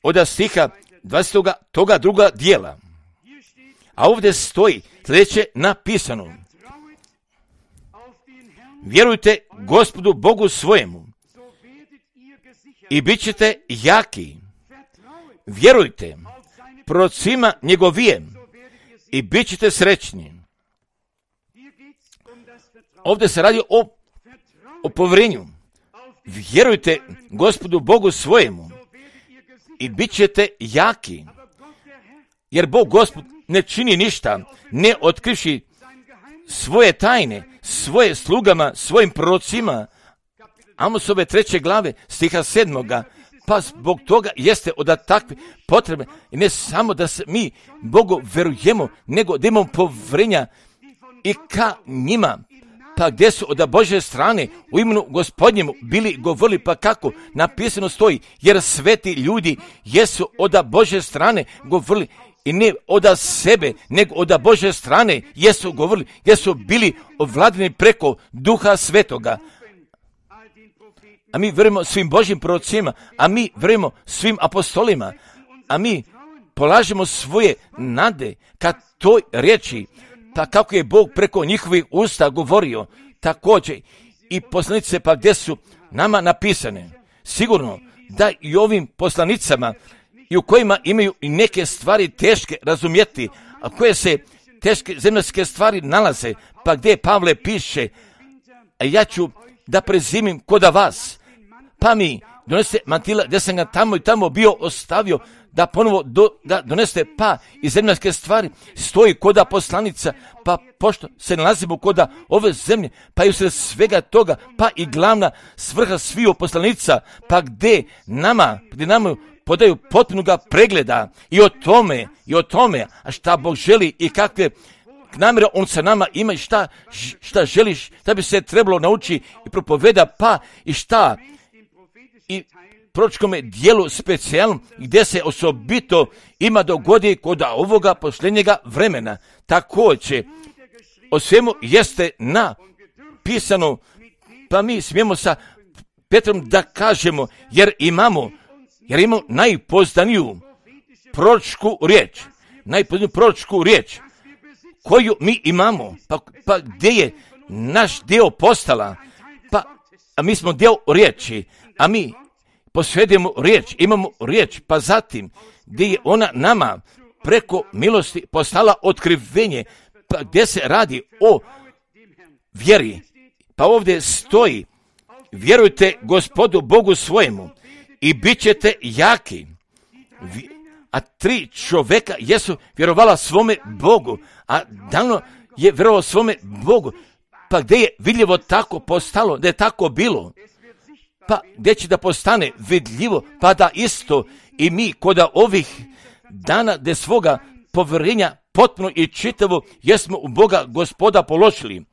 od stiha dvadesetog toga druga dijela. A ovdje stoji sljedeće napisano. Vjerujte Gospodu Bogu svojemu i bit ćete jaki. Vjerujte procima njegovijem i bit ćete srećni. Ovdje se radi o, o povjerenju. Vjerujte Gospodu Bogu svojemu i bit ćete jaki. Jer Bog Gospod ne čini ništa, ne otkrivši svoje tajne, svoje slugama, svojim prorocima. Amosove treće glave, stiha sedmoga. Pa zbog toga jeste od takve potrebe, i ne samo da se mi Bogu verujemo, nego da imamo povjerenja i ka njima. Pa gdje su od Božje strane u imenu Gospodnjemu bili govorili, pa kako napisano stoji, jer sveti ljudi jesu od Božje strane govorili, i ne od sebe, nego od Božje strane jesu govorili, jesu bili ovladani preko Duha Svetoga. A mi vjerujemo svim Božjim prorocima, a mi vjerujemo svim apostolima, a mi polažemo svoje nade ka toj riječi, pa kako je Bog preko njihovih usta govorio, također i poslanice, pa gdje su nama napisane. Sigurno da i ovim poslanicama, i u kojima imaju i neke stvari teške razumjeti, a koje se teške zemaljske stvari nalaze, pa gdje Pavle piše, a ja ću da prezimim koda vas, pa mi donese mantila gdje sam ga tamo i tamo bio ostavio, da ponovo do, da doneste, pa i zemaljske stvari stoji koda poslanica, pa pošto se nalazimo koda ove zemlje, pa i usred svega toga, pa i glavna svrha sviju poslanica, pa gdje nama, gdje nama podaju potpunoga pregleda i o tome, i o tome, a šta Bog želi i kakve namjere On sa nama ima i šta, šta želiš, da bi se trebalo nauči i propoveda, pa i šta i proročkome dijelu specijalnom gdje se osobito ima dogodi kod ovoga posljednjega vremena. Također, o svemu jeste napisano, pa mi smijemo sa Petrom da kažemo, jer imamo Jer imamo najpoznaniju proročku riječ, najpoznaniju proročku riječ koju mi imamo, pa, pa gdje je naš dio postala, pa a mi smo dio riječi, a mi posjedujemo riječ, imamo riječ, pa zatim gdje je ona nama preko milosti postala otkrivenje, pa gdje se radi o vjeri, pa ovdje stoji, vjerujte Gospodu Bogu svojemu i bit ćete jaki. A tri čovjeka jesu vjerovala svome Bogu, a davno je vjerovao svome Bogu. Pa gdje je vidljivo tako postalo, da je tako bilo? Pa gdje će da postane vidljivo, pa da isto i mi kod ovih dana gdje svoga povjerenja potpuno i čitavo jesmo u Boga Gospoda položili.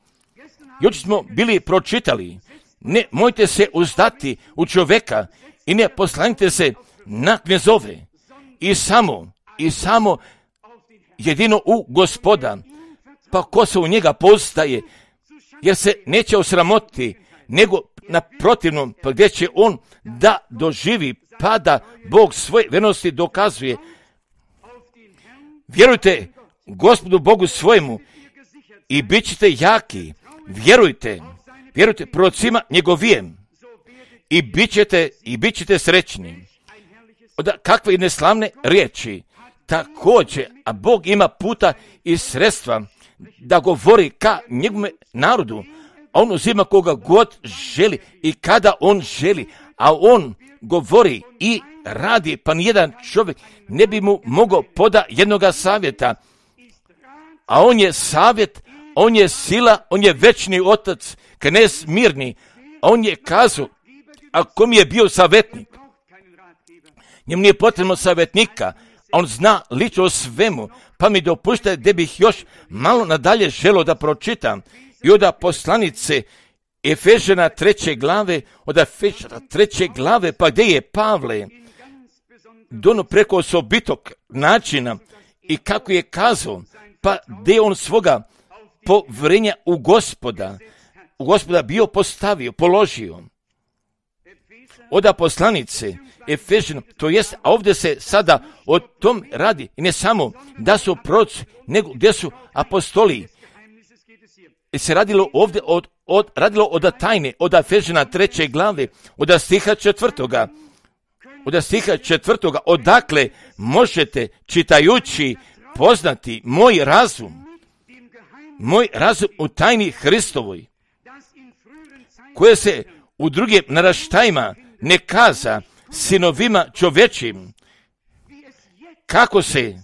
Jučer smo bili pročitali, ne mojte se uzdati u čovjeka i ne poslanite se na knezove i samo, i samo jedino u Gospoda, pa ko se u njega postaje, jer se neće osramotiti, nego naprotivno, pa gdje će on da doživi, pa da Bog svoje vjernosti dokazuje. Vjerujte Gospodu Bogu svojemu i bit ćete jaki. Vjerujte, vjerujte prorocima njegovijem i bit ćete, i bit ćete srećni. Oda kakve neslavne riječi. Također, a Bog ima puta i sredstva da govori ka njegovom narodu, a on uzima koga god želi i kada on želi, a on govori i radi, pa nijedan čovjek ne bi mu mogao poda jednoga savjeta, a on je savjet, on je sila, on je večni otac, knez mirni, a on je kazao, a kom je bio savjetnik? Njemu nije potrebno savjetnika, on zna lično o svemu, pa mi dopušta da bih još malo nadalje želio da pročitam i od poslanice Efežana treće glave, od Efežana treće glave, pa gdje je Pavle dono preko osobitog načina i kako je kazao, pa gdje on svoga povjerenja u Gospoda, u Gospoda bio postavio, položio. Od poslanice Efežana, to jest, a ovdje se sada o tom radi, i ne samo da su proroci, nego gdje su apostoli. I se radilo ovdje od, od, radilo od tajne, od Efežana treće glave, od stiha četvrtoga, od stiha četvrtoga, odakle možete čitajući poznati moj razum, moj razum u tajni Hristovoj, koje se u drugim naraštajima ne kaza sinovima čovječim, kako se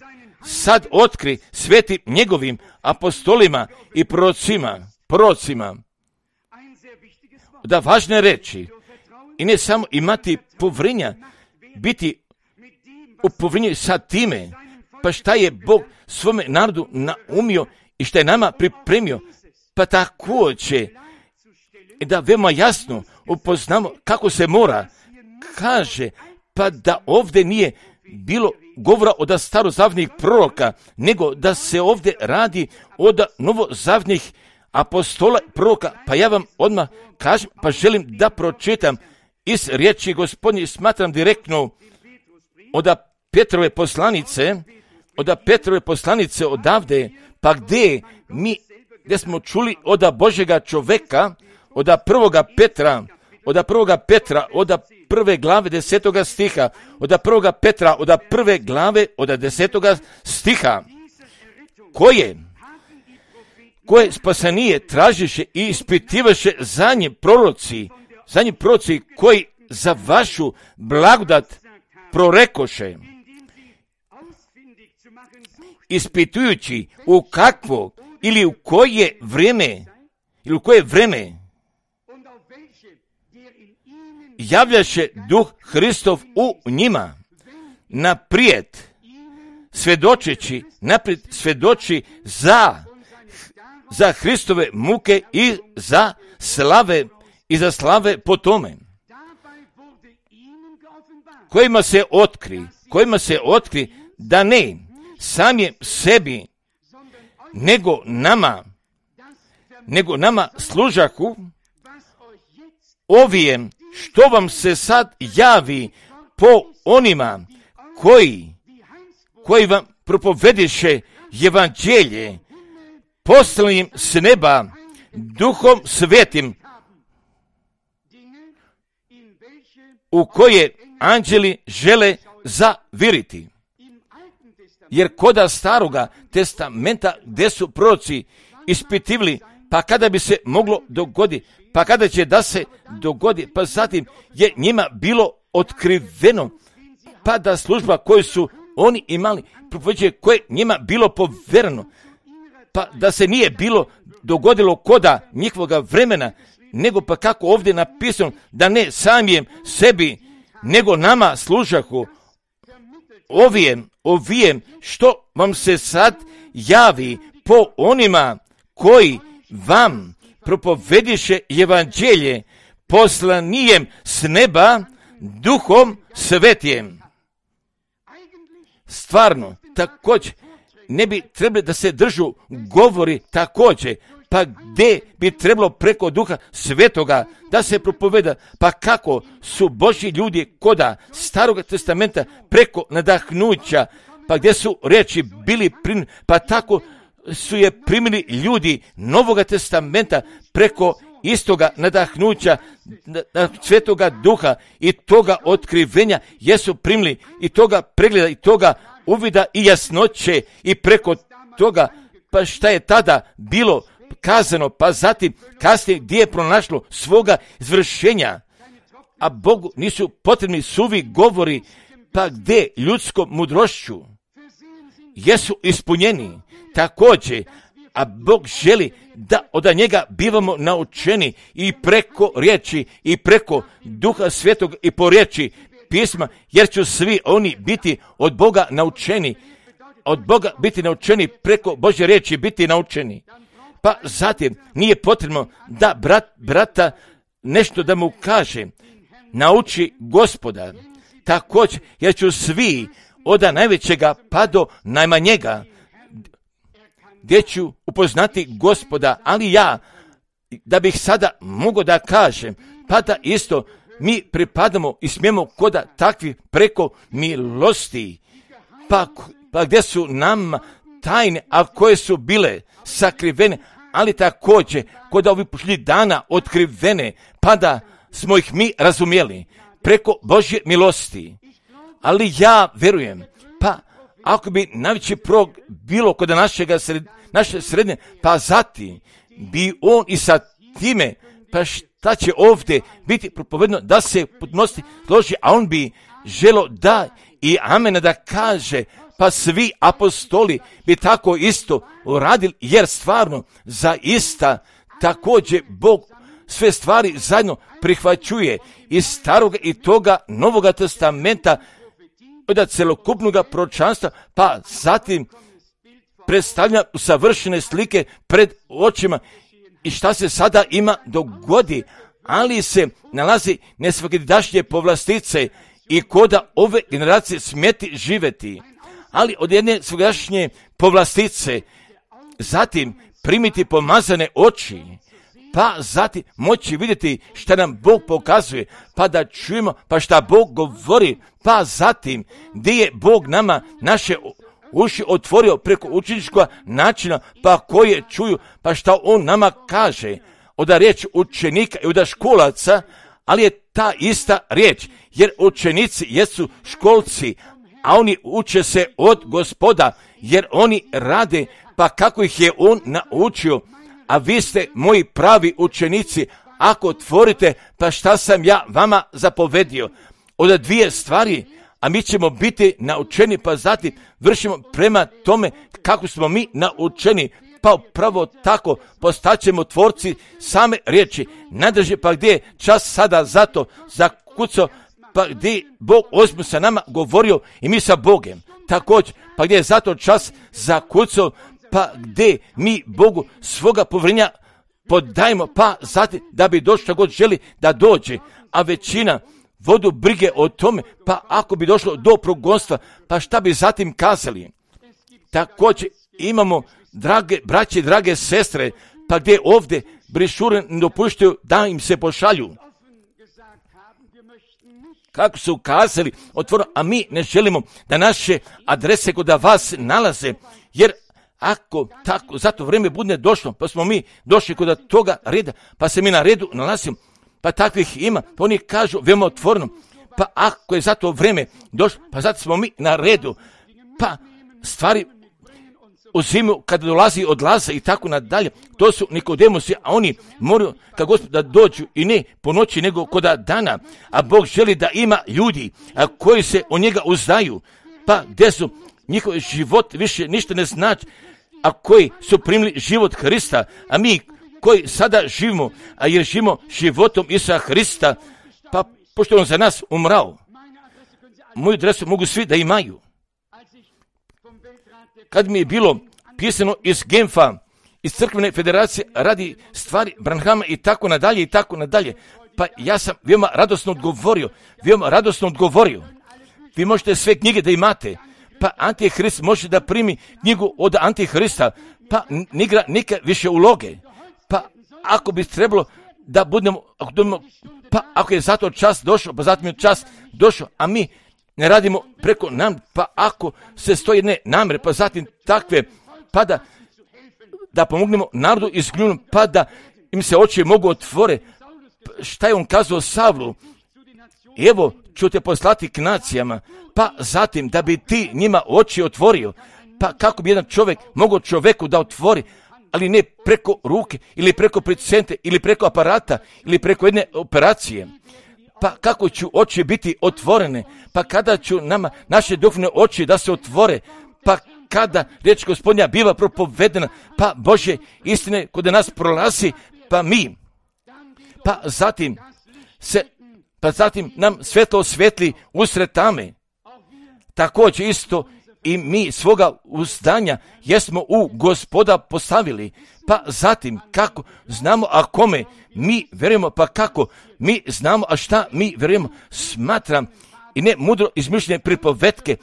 sad otkri svetim njegovim apostolima i prorocima, prorocima, da važne reči i ne samo imati povjerenja, biti u povjerenju sa time, pa šta je Bog svome narodu naumio i šta je nama pripremio, pa također da veoma jasno upoznamo kako se mora, kaže, pa da ovdje nije bilo govora od starozavnih proroka, nego da se ovdje radi od novozavnih apostola proroka. Pa ja vam odmah kažem, pa želim da pročitam iz riječi Gospodnje, smatram direktno od Petrove poslanice, od Petrove poslanice odavde, pa gdje mi, gdje smo čuli od Božjega čoveka, od prvoga Petra, od prvoga Petra, od prve glave desetoga stiha, od prvoga Petra, od prve glave, od desetoga stiha, koje, koje spasenije tražiše i ispitivaše za njim proroci, za njim proroci koji za vašu blagodat prorekoše, ispitujući u kakvo ili u koje vrijeme, ili u koje vrijeme javljaše duh Hristov u njima, naprijed svjedočeći, naprijed svjedoči za, za Hristove muke i za slave, i za slave po tome, kojima se otkri, kojima se otkri da ne samim sebi, nego nama, nego nama služahu ovijem što vam se sad javi po onima koji, koji vam propovediše evanđelje poslanim s neba duhom svetim, u koje anđeli žele zaviriti. Jer koda staroga testamenta gdje su proroci ispitivali, pa kada bi se moglo dogoditi, pa kada će da se dogodi, pa zatim je njima bilo otkriveno, pa da služba koju su oni imali, propoveđuje koje njima bilo povjereno, pa da se nije bilo dogodilo koda njihovoga vremena, nego pa kako ovdje napisano, da ne samijem sebi, nego nama služahu, ovijem, ovijem, što vam se sad javi po onima koji vam propovediše evanđelje poslanijem s neba duhom svetijem. Stvarno, također, ne bi trebali da se držu govori također, pa gdje bi trebalo preko duha svetoga da se propoveda, pa kako su Božji ljudi koda Starog testamenta preko nadahnuća, pa gdje su riječi bili primljeni, pa tako su je primili ljudi Novoga testamenta preko istoga nadahnuća Svetoga duha i toga otkrivenja jesu primili i toga pregleda i toga uvida i jasnoće i preko toga pa šta je tada bilo kazano, pa zatim kasnije gdje je pronašlo svoga izvršenja, a Bogu nisu potrebni suvi govori, pa gdje ljudskom mudrošću jesu ispunjeni također, a Bog želi da od njega bivamo naučeni i preko riječi i preko Duha Svetog i po riječi pisma, jer će svi oni biti od Boga naučeni, od Boga biti naučeni, preko Božje riječi biti naučeni. Pa zatim nije potrebno da brat, brata nešto da mu kaže, nauči Gospoda, također, jer ću svi od najvećega pa do najmanjega, gdje ću upoznati Gospoda, ali ja, da bih sada mogao da kažem, pa da isto mi pripadamo i smijemo koda takvi preko milosti, pa, pa gdje su nam tajne, a koje su bile sakrivene, ali također kod ovih pošli dana otkrivene, pa da smo ih mi razumjeli preko Božje milosti. Ali ja verujem, pa ako bi najveći prog bilo kod našega sred, naše srednje, pa zatim bi on i sa time, pa šta će ovdje biti propovedno da se potnosti složi, a on bi želo da i amena da kaže, pa svi apostoli bi tako isto uradili, jer stvarno zaista također Bog sve stvari zajedno prihvaćuje iz starog i toga Novoga testamenta, od celokupnog proročanstva, pa zatim predstavlja savršene slike pred očima i šta se sada ima dogodi, ali se nalazi nesvakidašnje povlastice i koda ove generacije smjeti živjeti. Ali od jedne svakdašnje povlastice, zatim primiti pomazane oči, pa zatim moći vidjeti šta nam Bog pokazuje, pa da čujemo, pa šta Bog govori, pa zatim gdje je Bog nama naše uši otvorio preko učeničkog načina, pa koje čuju, pa šta On nama kaže, od riječ učenika i od školaca, ali je ta ista riječ, jer učenici jesu školci, a oni uče se od Gospoda, jer oni rade, pa kako ih je On naučio, a vi ste moji pravi učenici, ako otvorite, pa šta sam ja vama zapovedio. Od dvije stvari, a mi ćemo biti naučeni, pa zatim vršimo prema tome kako smo mi naučeni, pa upravo tako postaćemo tvorci same riječi. Nadrži, pa gdje je čas sada zato zakucao, pa gdje Bog ozbiljno sa nama govorio i mi sa Bogem. Također, pa gdje je zato čas zakucao, pa gdje mi Bogu svoga povjerenja podajemo, pa zatim da bi došlo god želi da dođe, a većina vodu brige o tome, pa ako bi došlo do progonstva, pa šta bi zatim kazali. Također imamo, drage braće, drage sestre, pa gdje ovdje brišure ne dopuštaju da im se pošalju. Kako su kazali, otvoreno, a mi ne želimo da naše adrese kod vas nalaze, jer ako tako za to vrijeme bude došlo, pa smo mi došli kod toga reda, pa se mi na redu nalazimo, pa takvih ima, pa oni kažu veoma otvoreno, pa ako je za to vrijeme došlo, pa zato smo mi na redu, pa stvari uzimaju kada dolazi odlaze i tako nadalje, to su Nikodemusi, a oni moraju kad Gospod da dođu i ne po noći nego kod dana, a Bog želi da ima ljudi a koji se o njega uzdaju, pa gdje su njihov život više ništa ne znači, a koji su primili život Hrista, a mi koji sada živimo, a jer živimo životom Isusa Hrista, pa pošto on za nas umrao, moju adresu mogu svi da imaju. Kad mi je bilo pisano iz Genfa, iz crkvene federacije radi stvari Branhama i tako nadalje i tako nadalje. Pa ja sam veoma radosno odgovorio, veoma radosno odgovorio. Vi možete sve knjige da imate, pa Antihrist može da primi knjigu od Antihrista, pa nigra neka više uloge. Pa ako bi trebalo da budemo, ako budemo, pa ako je zato čas došao, pa zatim je čas došao, a mi ne radimo preko nam, pa ako se stoji jedne namere, pa zatim takve, pa da, da pomognemo narodu izgljunom, pa da im se oči mogu otvore. Šta je on kazao Savlu? Evo ću te poslati k nacijama, pa zatim da bi ti njima oči otvorio. Pa kako bi jedan čovjek mogao čovjeku da otvori, ali ne preko ruke, ili preko pacijente, ili preko aparata, ili preko jedne operacije. Pa kako ću oči biti otvorene? Pa kada ću nama, naše duhovne oči da se otvore? Pa kada riječ Gospodnja biva propovedena? Pa Božje istine kod nas prolazi, pa mi. Pa zatim se, pa zatim nam svetlo osvetli usred tame. Također isto i mi svoga uzdanja jesmo u Gospoda postavili. Pa zatim kako znamo, a kome mi vjerujemo, pa kako mi znamo, a šta mi vjerujemo, smatram i ne mudro izmišljene pripovetke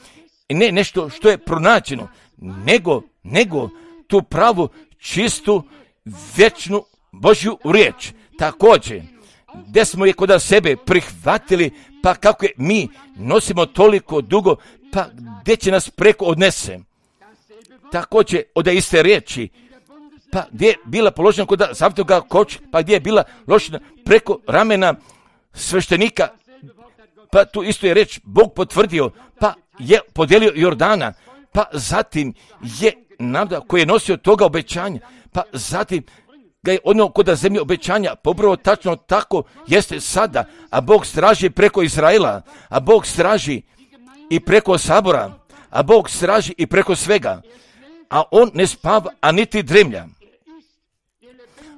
i ne nešto što je pronađeno, nego, nego tu pravu, čistu, vječnu Božju riječ. Također, gdje smo je kod sebe prihvatili, pa kako je mi nosimo toliko dugo, pa gdje će nas preko odnese. Također, od iste riječi, pa gdje je bila položena kod zavitoga koč, pa gdje je bila ložena preko ramena sveštenika, pa tu isto je reč Bog potvrdio, pa je podijelio Jordana, pa zatim je nada koji je nosio toga obećanja, pa zatim ga je odnio kod zemlje obećanja, pobrao tačno tako jeste sada, a Bog straži preko Izraela, a Bog straži i preko sabora, a Bog straži i preko svega, a on ne spava, a niti dremlja.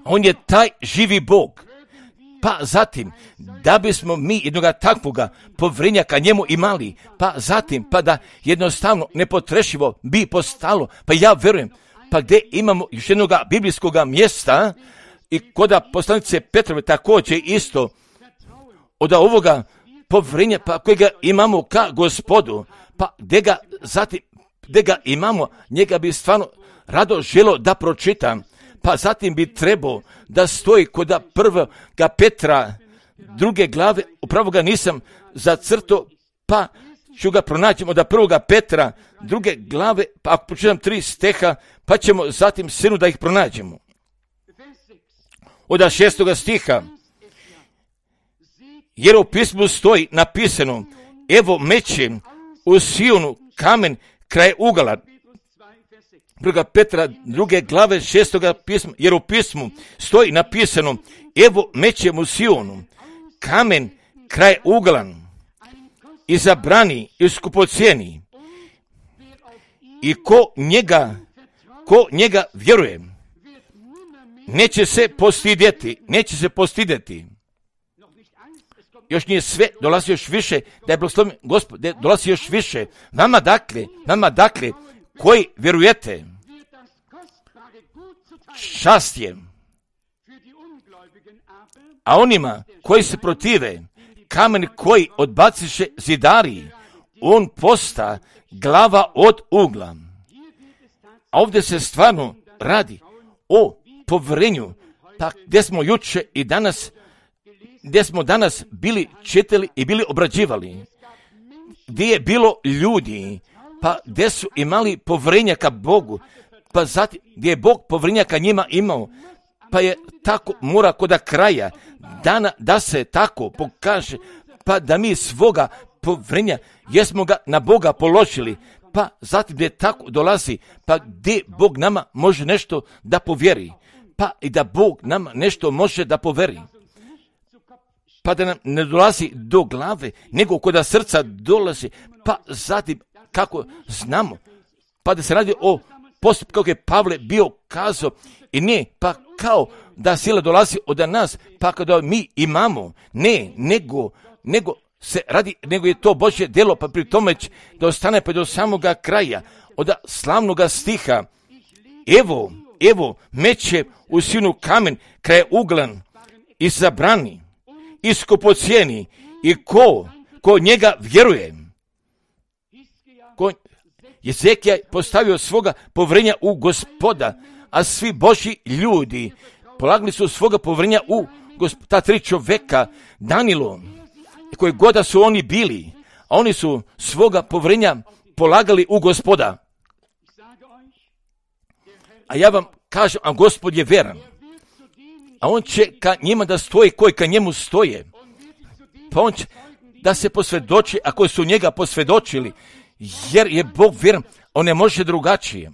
On je taj živi Bog. Pa zatim, da bismo mi jednoga takvoga povrenjaka njemu imali, pa zatim, pa da jednostavno nepotrešivo bi postalo, pa ja verujem, pa gdje imamo još jednoga biblijskog mjesta i koda poslanice Petrove također isto od ovoga povrenja, pa kojega imamo ka Gospodu, pa gdje ga zatim, gdje ga imamo, njega bi stvarno rado želo da pročitam, pa zatim bi trebao da stoji kod prvoga Petra druge glave, upravo ga nisam zacrto, pa ću ga pronaći od prvoga Petra druge glave, pa ako pročitam tri steha, pa ćemo zatim sinu da ih pronađemo. Od šestoga stiha, jer u pismu stoji napisano, evo meće u Sionu kamen kraj ugala. Druga Petra, druge glave, šestoga pisma, jer u pismu stoji napisano, evo mećem u Sionu, kamen kraj uglan, izabrani i skupocijeni, i ko njega, ko njega vjeruje, neće se postidjeti, neće se postidjeti. Još nije sve, dolazi još više, da je blagoslovljen Gospod, da dolazi još više. Nama dakle, nama dakle, koji vjerujete, čast je. A onima koji se protive, kamen koji odbaciše zidari, on posta glava od ugla. A ovdje se stvarno radi o povjerenju, pa gdje smo juče i danas, gdje smo danas bili čitali i bili obrađivali, gdje je bilo ljudi, pa gdje su imali povjerenja ka Bogu, pa zatim gdje je Bog povjerenja ka njima imao, pa je tako mora kod kraja dana da se tako pokaže, pa da mi svoga povjerenja jesmo ga na Boga položili, pa zatim gdje tako dolazi, pa gdje Bog nama može nešto da povjeri, pa i da Bog nama nešto može da povjeri. Pa da nam ne dolazi do glave, nego kod srca dolazi, pa zatim kako znamo, pa da se radi o postupku kako je Pavle bio kazao, i ne, pa kao da sila dolazi od nas, pa kada mi imamo, ne, nego, nego se radi, nego je to Božje djelo, pa pri tome da ostane pa do samoga kraja, od slavnoga stiha, evo, evo, meće u sinu kamen kraj uglan i zabrani, i skupocijeni, i ko, ko njega vjeruje. Ko, Jezekija je postavio svoga povjerenja u Gospoda, a svi Božji ljudi polagali su svoga povjerenja u Gospoda. Ta tri čovjeka, Danilo, koji god da su oni bili, a oni su svoga povjerenja polagali u Gospoda. A ja vam kažem, a Gospod je vjeran, a on će ka njima da stoji koji ka njemu stoje. Pa on će da se posvjedoči, ako su njega posvjedočili, jer je Bog vjeran, on ne može drugačije.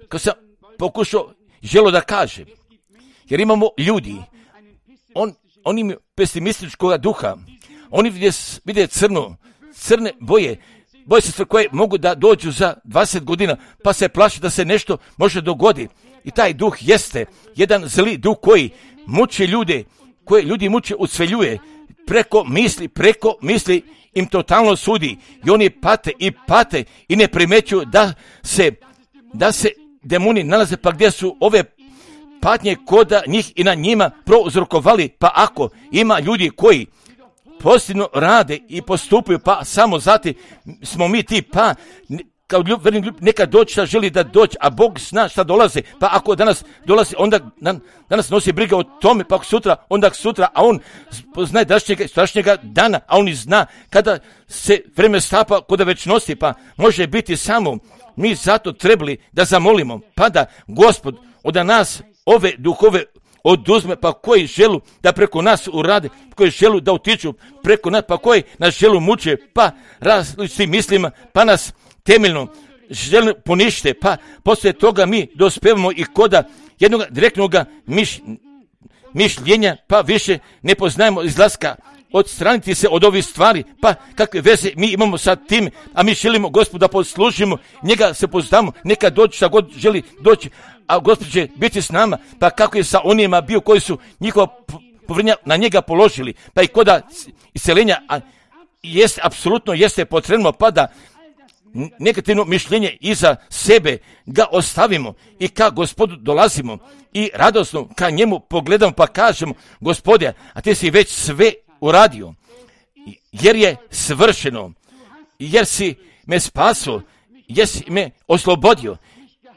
Kad sam pokušao, želo da kaže, jer imamo ljudi, on, oni imaju pesimističkog duha, oni vide, vide crno, crne boje, boje se sve koje mogu da dođu za dvadeset godina, pa se plaši da se nešto može dogoditi. I taj duh jeste jedan zli duh koji muči ljude, koje ljudi muče, ucveljuje, preko misli, preko misli im totalno sudi i oni pate i pate i ne primećuju da se, da se demoni nalaze pa gdje su ove patnje koda njih i na njima prouzrokovali. Pa ako ima ljudi koji pozitivno rade i postupaju, pa samo zati smo mi ti, pa kao ljub, neka doći šta želi da doći, a Bog zna šta dolaze, pa ako danas dolazi, onda danas nosi briga o tome, pa ako sutra, onda sutra, a on zna dašnjega, strašnjega dana, a on i zna kada se vreme stapa, kada već nosi, pa može biti samo mi zato trebali da zamolimo, pa da Gospod od nas ove duhove oduzme, pa koji želu da preko nas urade, koji želu da utiču preko nas, pa koji nas želu muče, pa različitim mislima, pa nas temeljno žele ponište, pa poslije toga mi dospevamo i koda jednog direktnog miš, mišljenja, pa više ne poznajemo izlaska, odstraniti se od ovih stvari, pa kakve veze mi imamo sa tim, a mi želimo Gospodu da poslužimo, njega se poznamo, neka doći šta god želi doći, a Gospod će biti s nama, pa kako je sa onima bio koji su njihova povjerenja na njega položili, pa i koda iseljenja, a jest, apsolutno jeste potrebno, pa da negativno mišljenje iza sebe ga ostavimo i ka Gospodu dolazimo i radosno ka njemu pogledamo pa kažemo, Gospode, a ti si već sve uradio, jer je svršeno, jer si me spasio, jer si me oslobodio,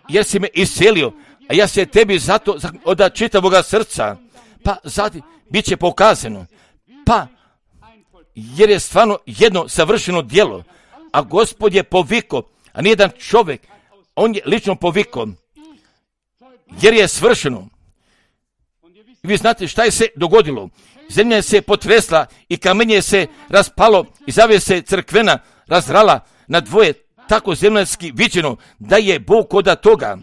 jer si me iscelio, a ja se tebi zato od čitavoga srca, pa zatim bit će pokazano, pa jer je stvarno jedno savršeno djelo, a Gospod je poviko, a nijedan čovjek, on je lično poviko, jer je svršeno. I vi znate šta je se dogodilo. Zemlja je se potresla i kamenje je se raspalo i zavjese crkvena razrala na dvoje, tako zemljanski viđeno da je Bog koda toga,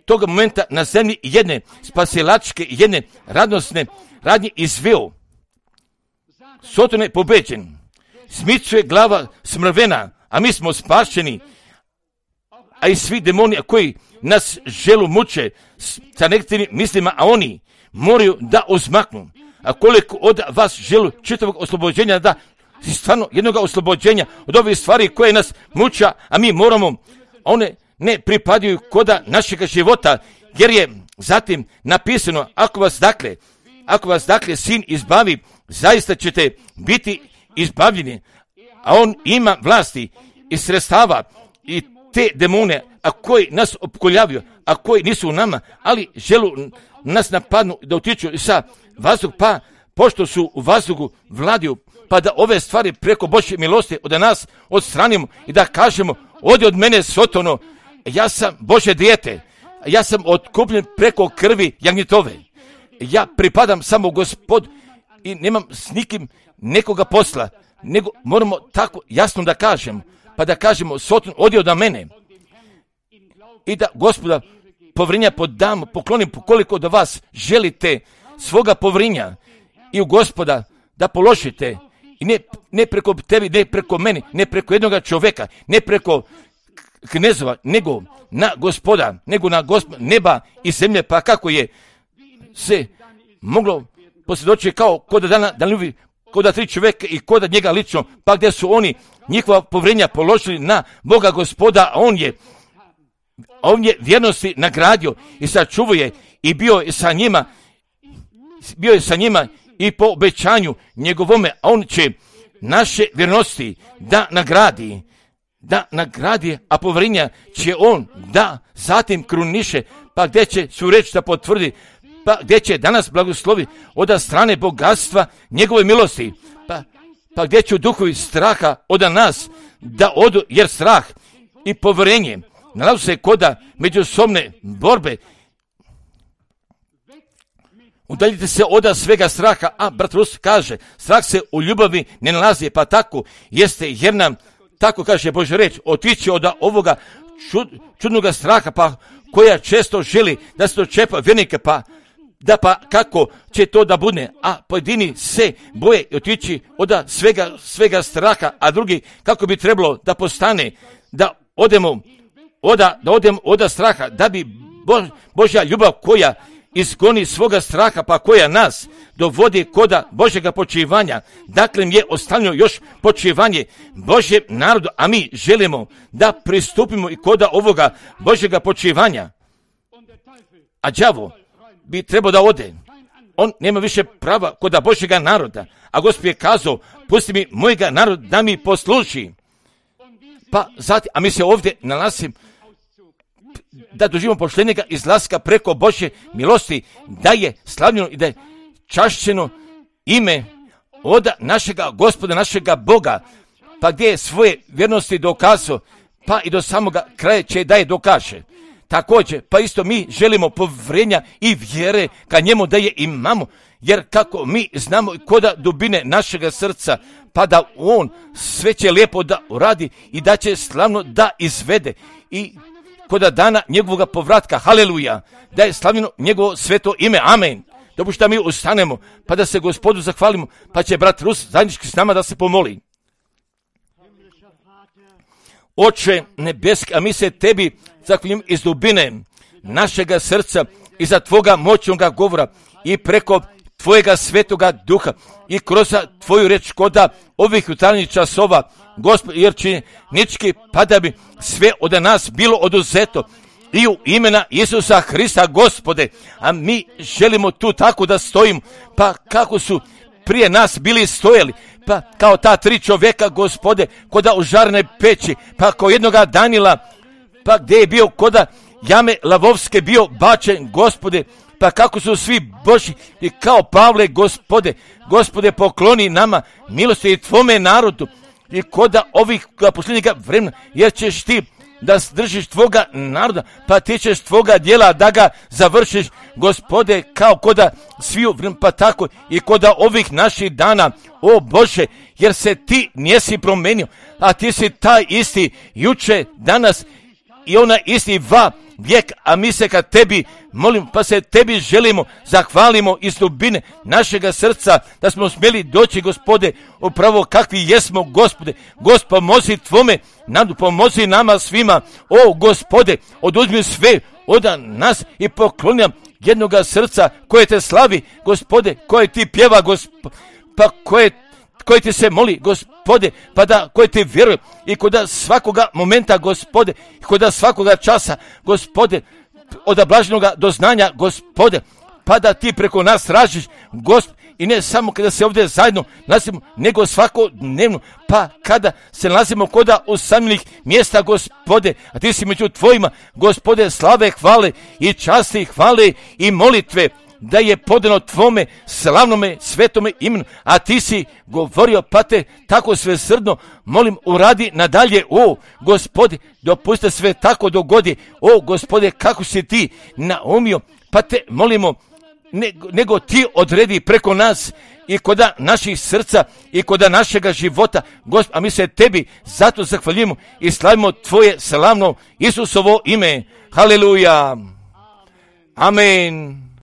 toga momenta na zemlji jedne spasilačke, jedne radosne radnje izveo. Soton je pobeđen. Smicuje glava smrvena, a mi smo spašeni, a i svi demoni koji nas želu muče sa negativnim mislima, a oni moraju da uzmaknu. A koliko od vas želu čitavog oslobođenja, da stvarno jednog oslobođenja od ovih stvari koje nas muča, a mi moramo, one ne pripadaju koda našega života, jer je zatim napisano, ako vas dakle, ako vas dakle sin izbavi, zaista ćete biti izbavljeni, a on ima vlasti i sredstava i te demone, a koji nas opkoljavaju, a koji nisu u nama, ali želu nas napadnu da utiču sa vazduh, pa pošto su u vazduhu vladiju, pa da ove stvari preko Božje milosti od nas odstranimo i da kažemo, odi od mene Sotono, ja sam Božje dijete, ja sam otkupljen preko krvi jagnjetove, ja pripadam samo Gospod i nemam s nikim nekoga posla, nego moramo tako jasno da kažem, pa da kažemo, Soton, odi od mene i da Gospoda povrinja podamo, poklonim koliko do vas želite svoga povrinja i u Gospoda da položite i ne, ne preko tebi, ne preko meni, ne preko jednoga čovjeka, ne preko knezova, nego na Gospoda, nego na Gospoda neba i zemlje, pa kako je se moglo posvjedočiti kao kod dana da ljubi kod tri čovjeka i kod njega lično, pa gdje su oni njihova povrenja položili na Boga Gospoda, a on je on je vjernosti nagradio i sačuvao je i bio je sa njima, bio je sa njima i po obećanju njegovome, a on će naše vjernosti da nagradi, da nagradi, a povjerenja će on da zatim kruniše, pa gdje će su reč da potvrdi, pa gdje će danas blagoslovi od strane bogatstva njegove milosti, pa, pa gdje će duhovi straha od nas da odu, jer strah i povjerenje nalazi se koda međusobne borbe. Udaljite se od svega straha, a brat Rus kaže, strah se u ljubavi ne nalazi, pa tako jeste, jer nam, tako kaže Božja reč, otići od ovoga čud, čudnoga straha, pa koja često želi da se dočepa vjernike, pa da pa kako će to da bude, a pojedini se boje otići od svega, svega straha, a drugi kako bi trebalo da postane, da odemo oda, da odemo od straha, da bi Bo, Božja ljubav koja izgoni svoga straha, pa koja nas dovodi koda Božjega počivanja. Dakle, je ostavljeno još počivanje Božjem narodu, a mi želimo da pristupimo i koda ovoga Božjega počivanja. A đavo bi trebao da ode. On nema više prava koda Božjega naroda. A Gospod je kazao, pusti mi mojega naroda da mi posluži. Pa zatim, a mi se ovdje nalazimo da doživimo poštenjega izlaska preko Božje milosti, da je slavljeno i da je čašćeno ime od našega Gospoda, našega Boga, pa gdje je svoje vjernosti dokazao, pa i do samoga kraja će da je dokaže. Također, pa isto mi želimo povjerenja i vjere ka njemu da je imamo, jer kako mi znamo koda dubine našega srca, pa da on sve će lijepo da uradi i da će slavno da izvede i koda dana njegovog povratka, haleluja, da je slavljeno njegovo sveto ime, amen. Dopušta mi ustanemo, pa da se Gospodu zahvalimo, pa će brat Rus zajednički s nama da se pomoli. Oče nebeski, a mi se tebi zahvaljujemo iz dubine našega srca i za tvoga moćnoga govora i preko tvojega svetoga duha i kroz tvoju reč koda ovih jutarnjih časova, Gospod, jer će nički pa da bi sve od nas bilo oduzeto i u imena Isusa Hrista, Gospode, a mi želimo tu tako da stojimo, pa kako su prije nas bili stojali, pa kao ta tri čovjeka, Gospode, koda u žarne peći, pa kao jednoga Danila, pa gdje je bio koda jame lavovske bio bačen, Gospode, pa kako su svi Božji i kao Pavle, Gospode, Gospode, pokloni nama milosti i tvome narodu i koda ovih posljednjega vremena, jer ćeš ti da držiš tvoga naroda, pa ti ćeš tvoga djela da ga završiš, Gospode, kao koda sviju vremena, pa tako i koda ovih naših dana, o Bože, jer se ti nisi promenio, a ti si taj isti juče, danas i ona isti va vijek, a mi se kad tebi molim, pa se tebi želimo, zahvalimo iz dubine našega srca, da smo smjeli doći, Gospode, upravo kakvi jesmo, Gospode. Gospod, pomozi tvome nadu, pomozi nama svima, o Gospode, oduzmi sve od nas i pokloni nam jednoga srca koje te slavi, Gospode, koje ti pjeva, Gospode, pa koje koji ti se moli, Gospode, pa da koji ti vjeruje i koda svakoga momenta, Gospode, i koda svakoga časa, Gospode, od blaženoga doznanja, Gospode, pa da ti preko nas ražiš, Gospode, i ne samo kada se ovdje zajedno nalazimo, nego svakodnevno, pa kada se nalazimo koda usamljenih mjesta, Gospode, a ti si među tvojima, Gospode, slave, hvale i časti, hvale i molitve, da je podano tvome slavnome svetome imenu, a ti si govorio, pa te tako svesrdno molim uradi nadalje, o Gospode, dopusti sve tako dogodi, o Gospode, kako si ti naumio, pa te molimo, nego, nego ti odredi preko nas i koda naših srca i koda našega života, Gospod, a mi se tebi zato zahvaljujemo i slavimo tvoje slavno Isusovo ime, haleluja, amen.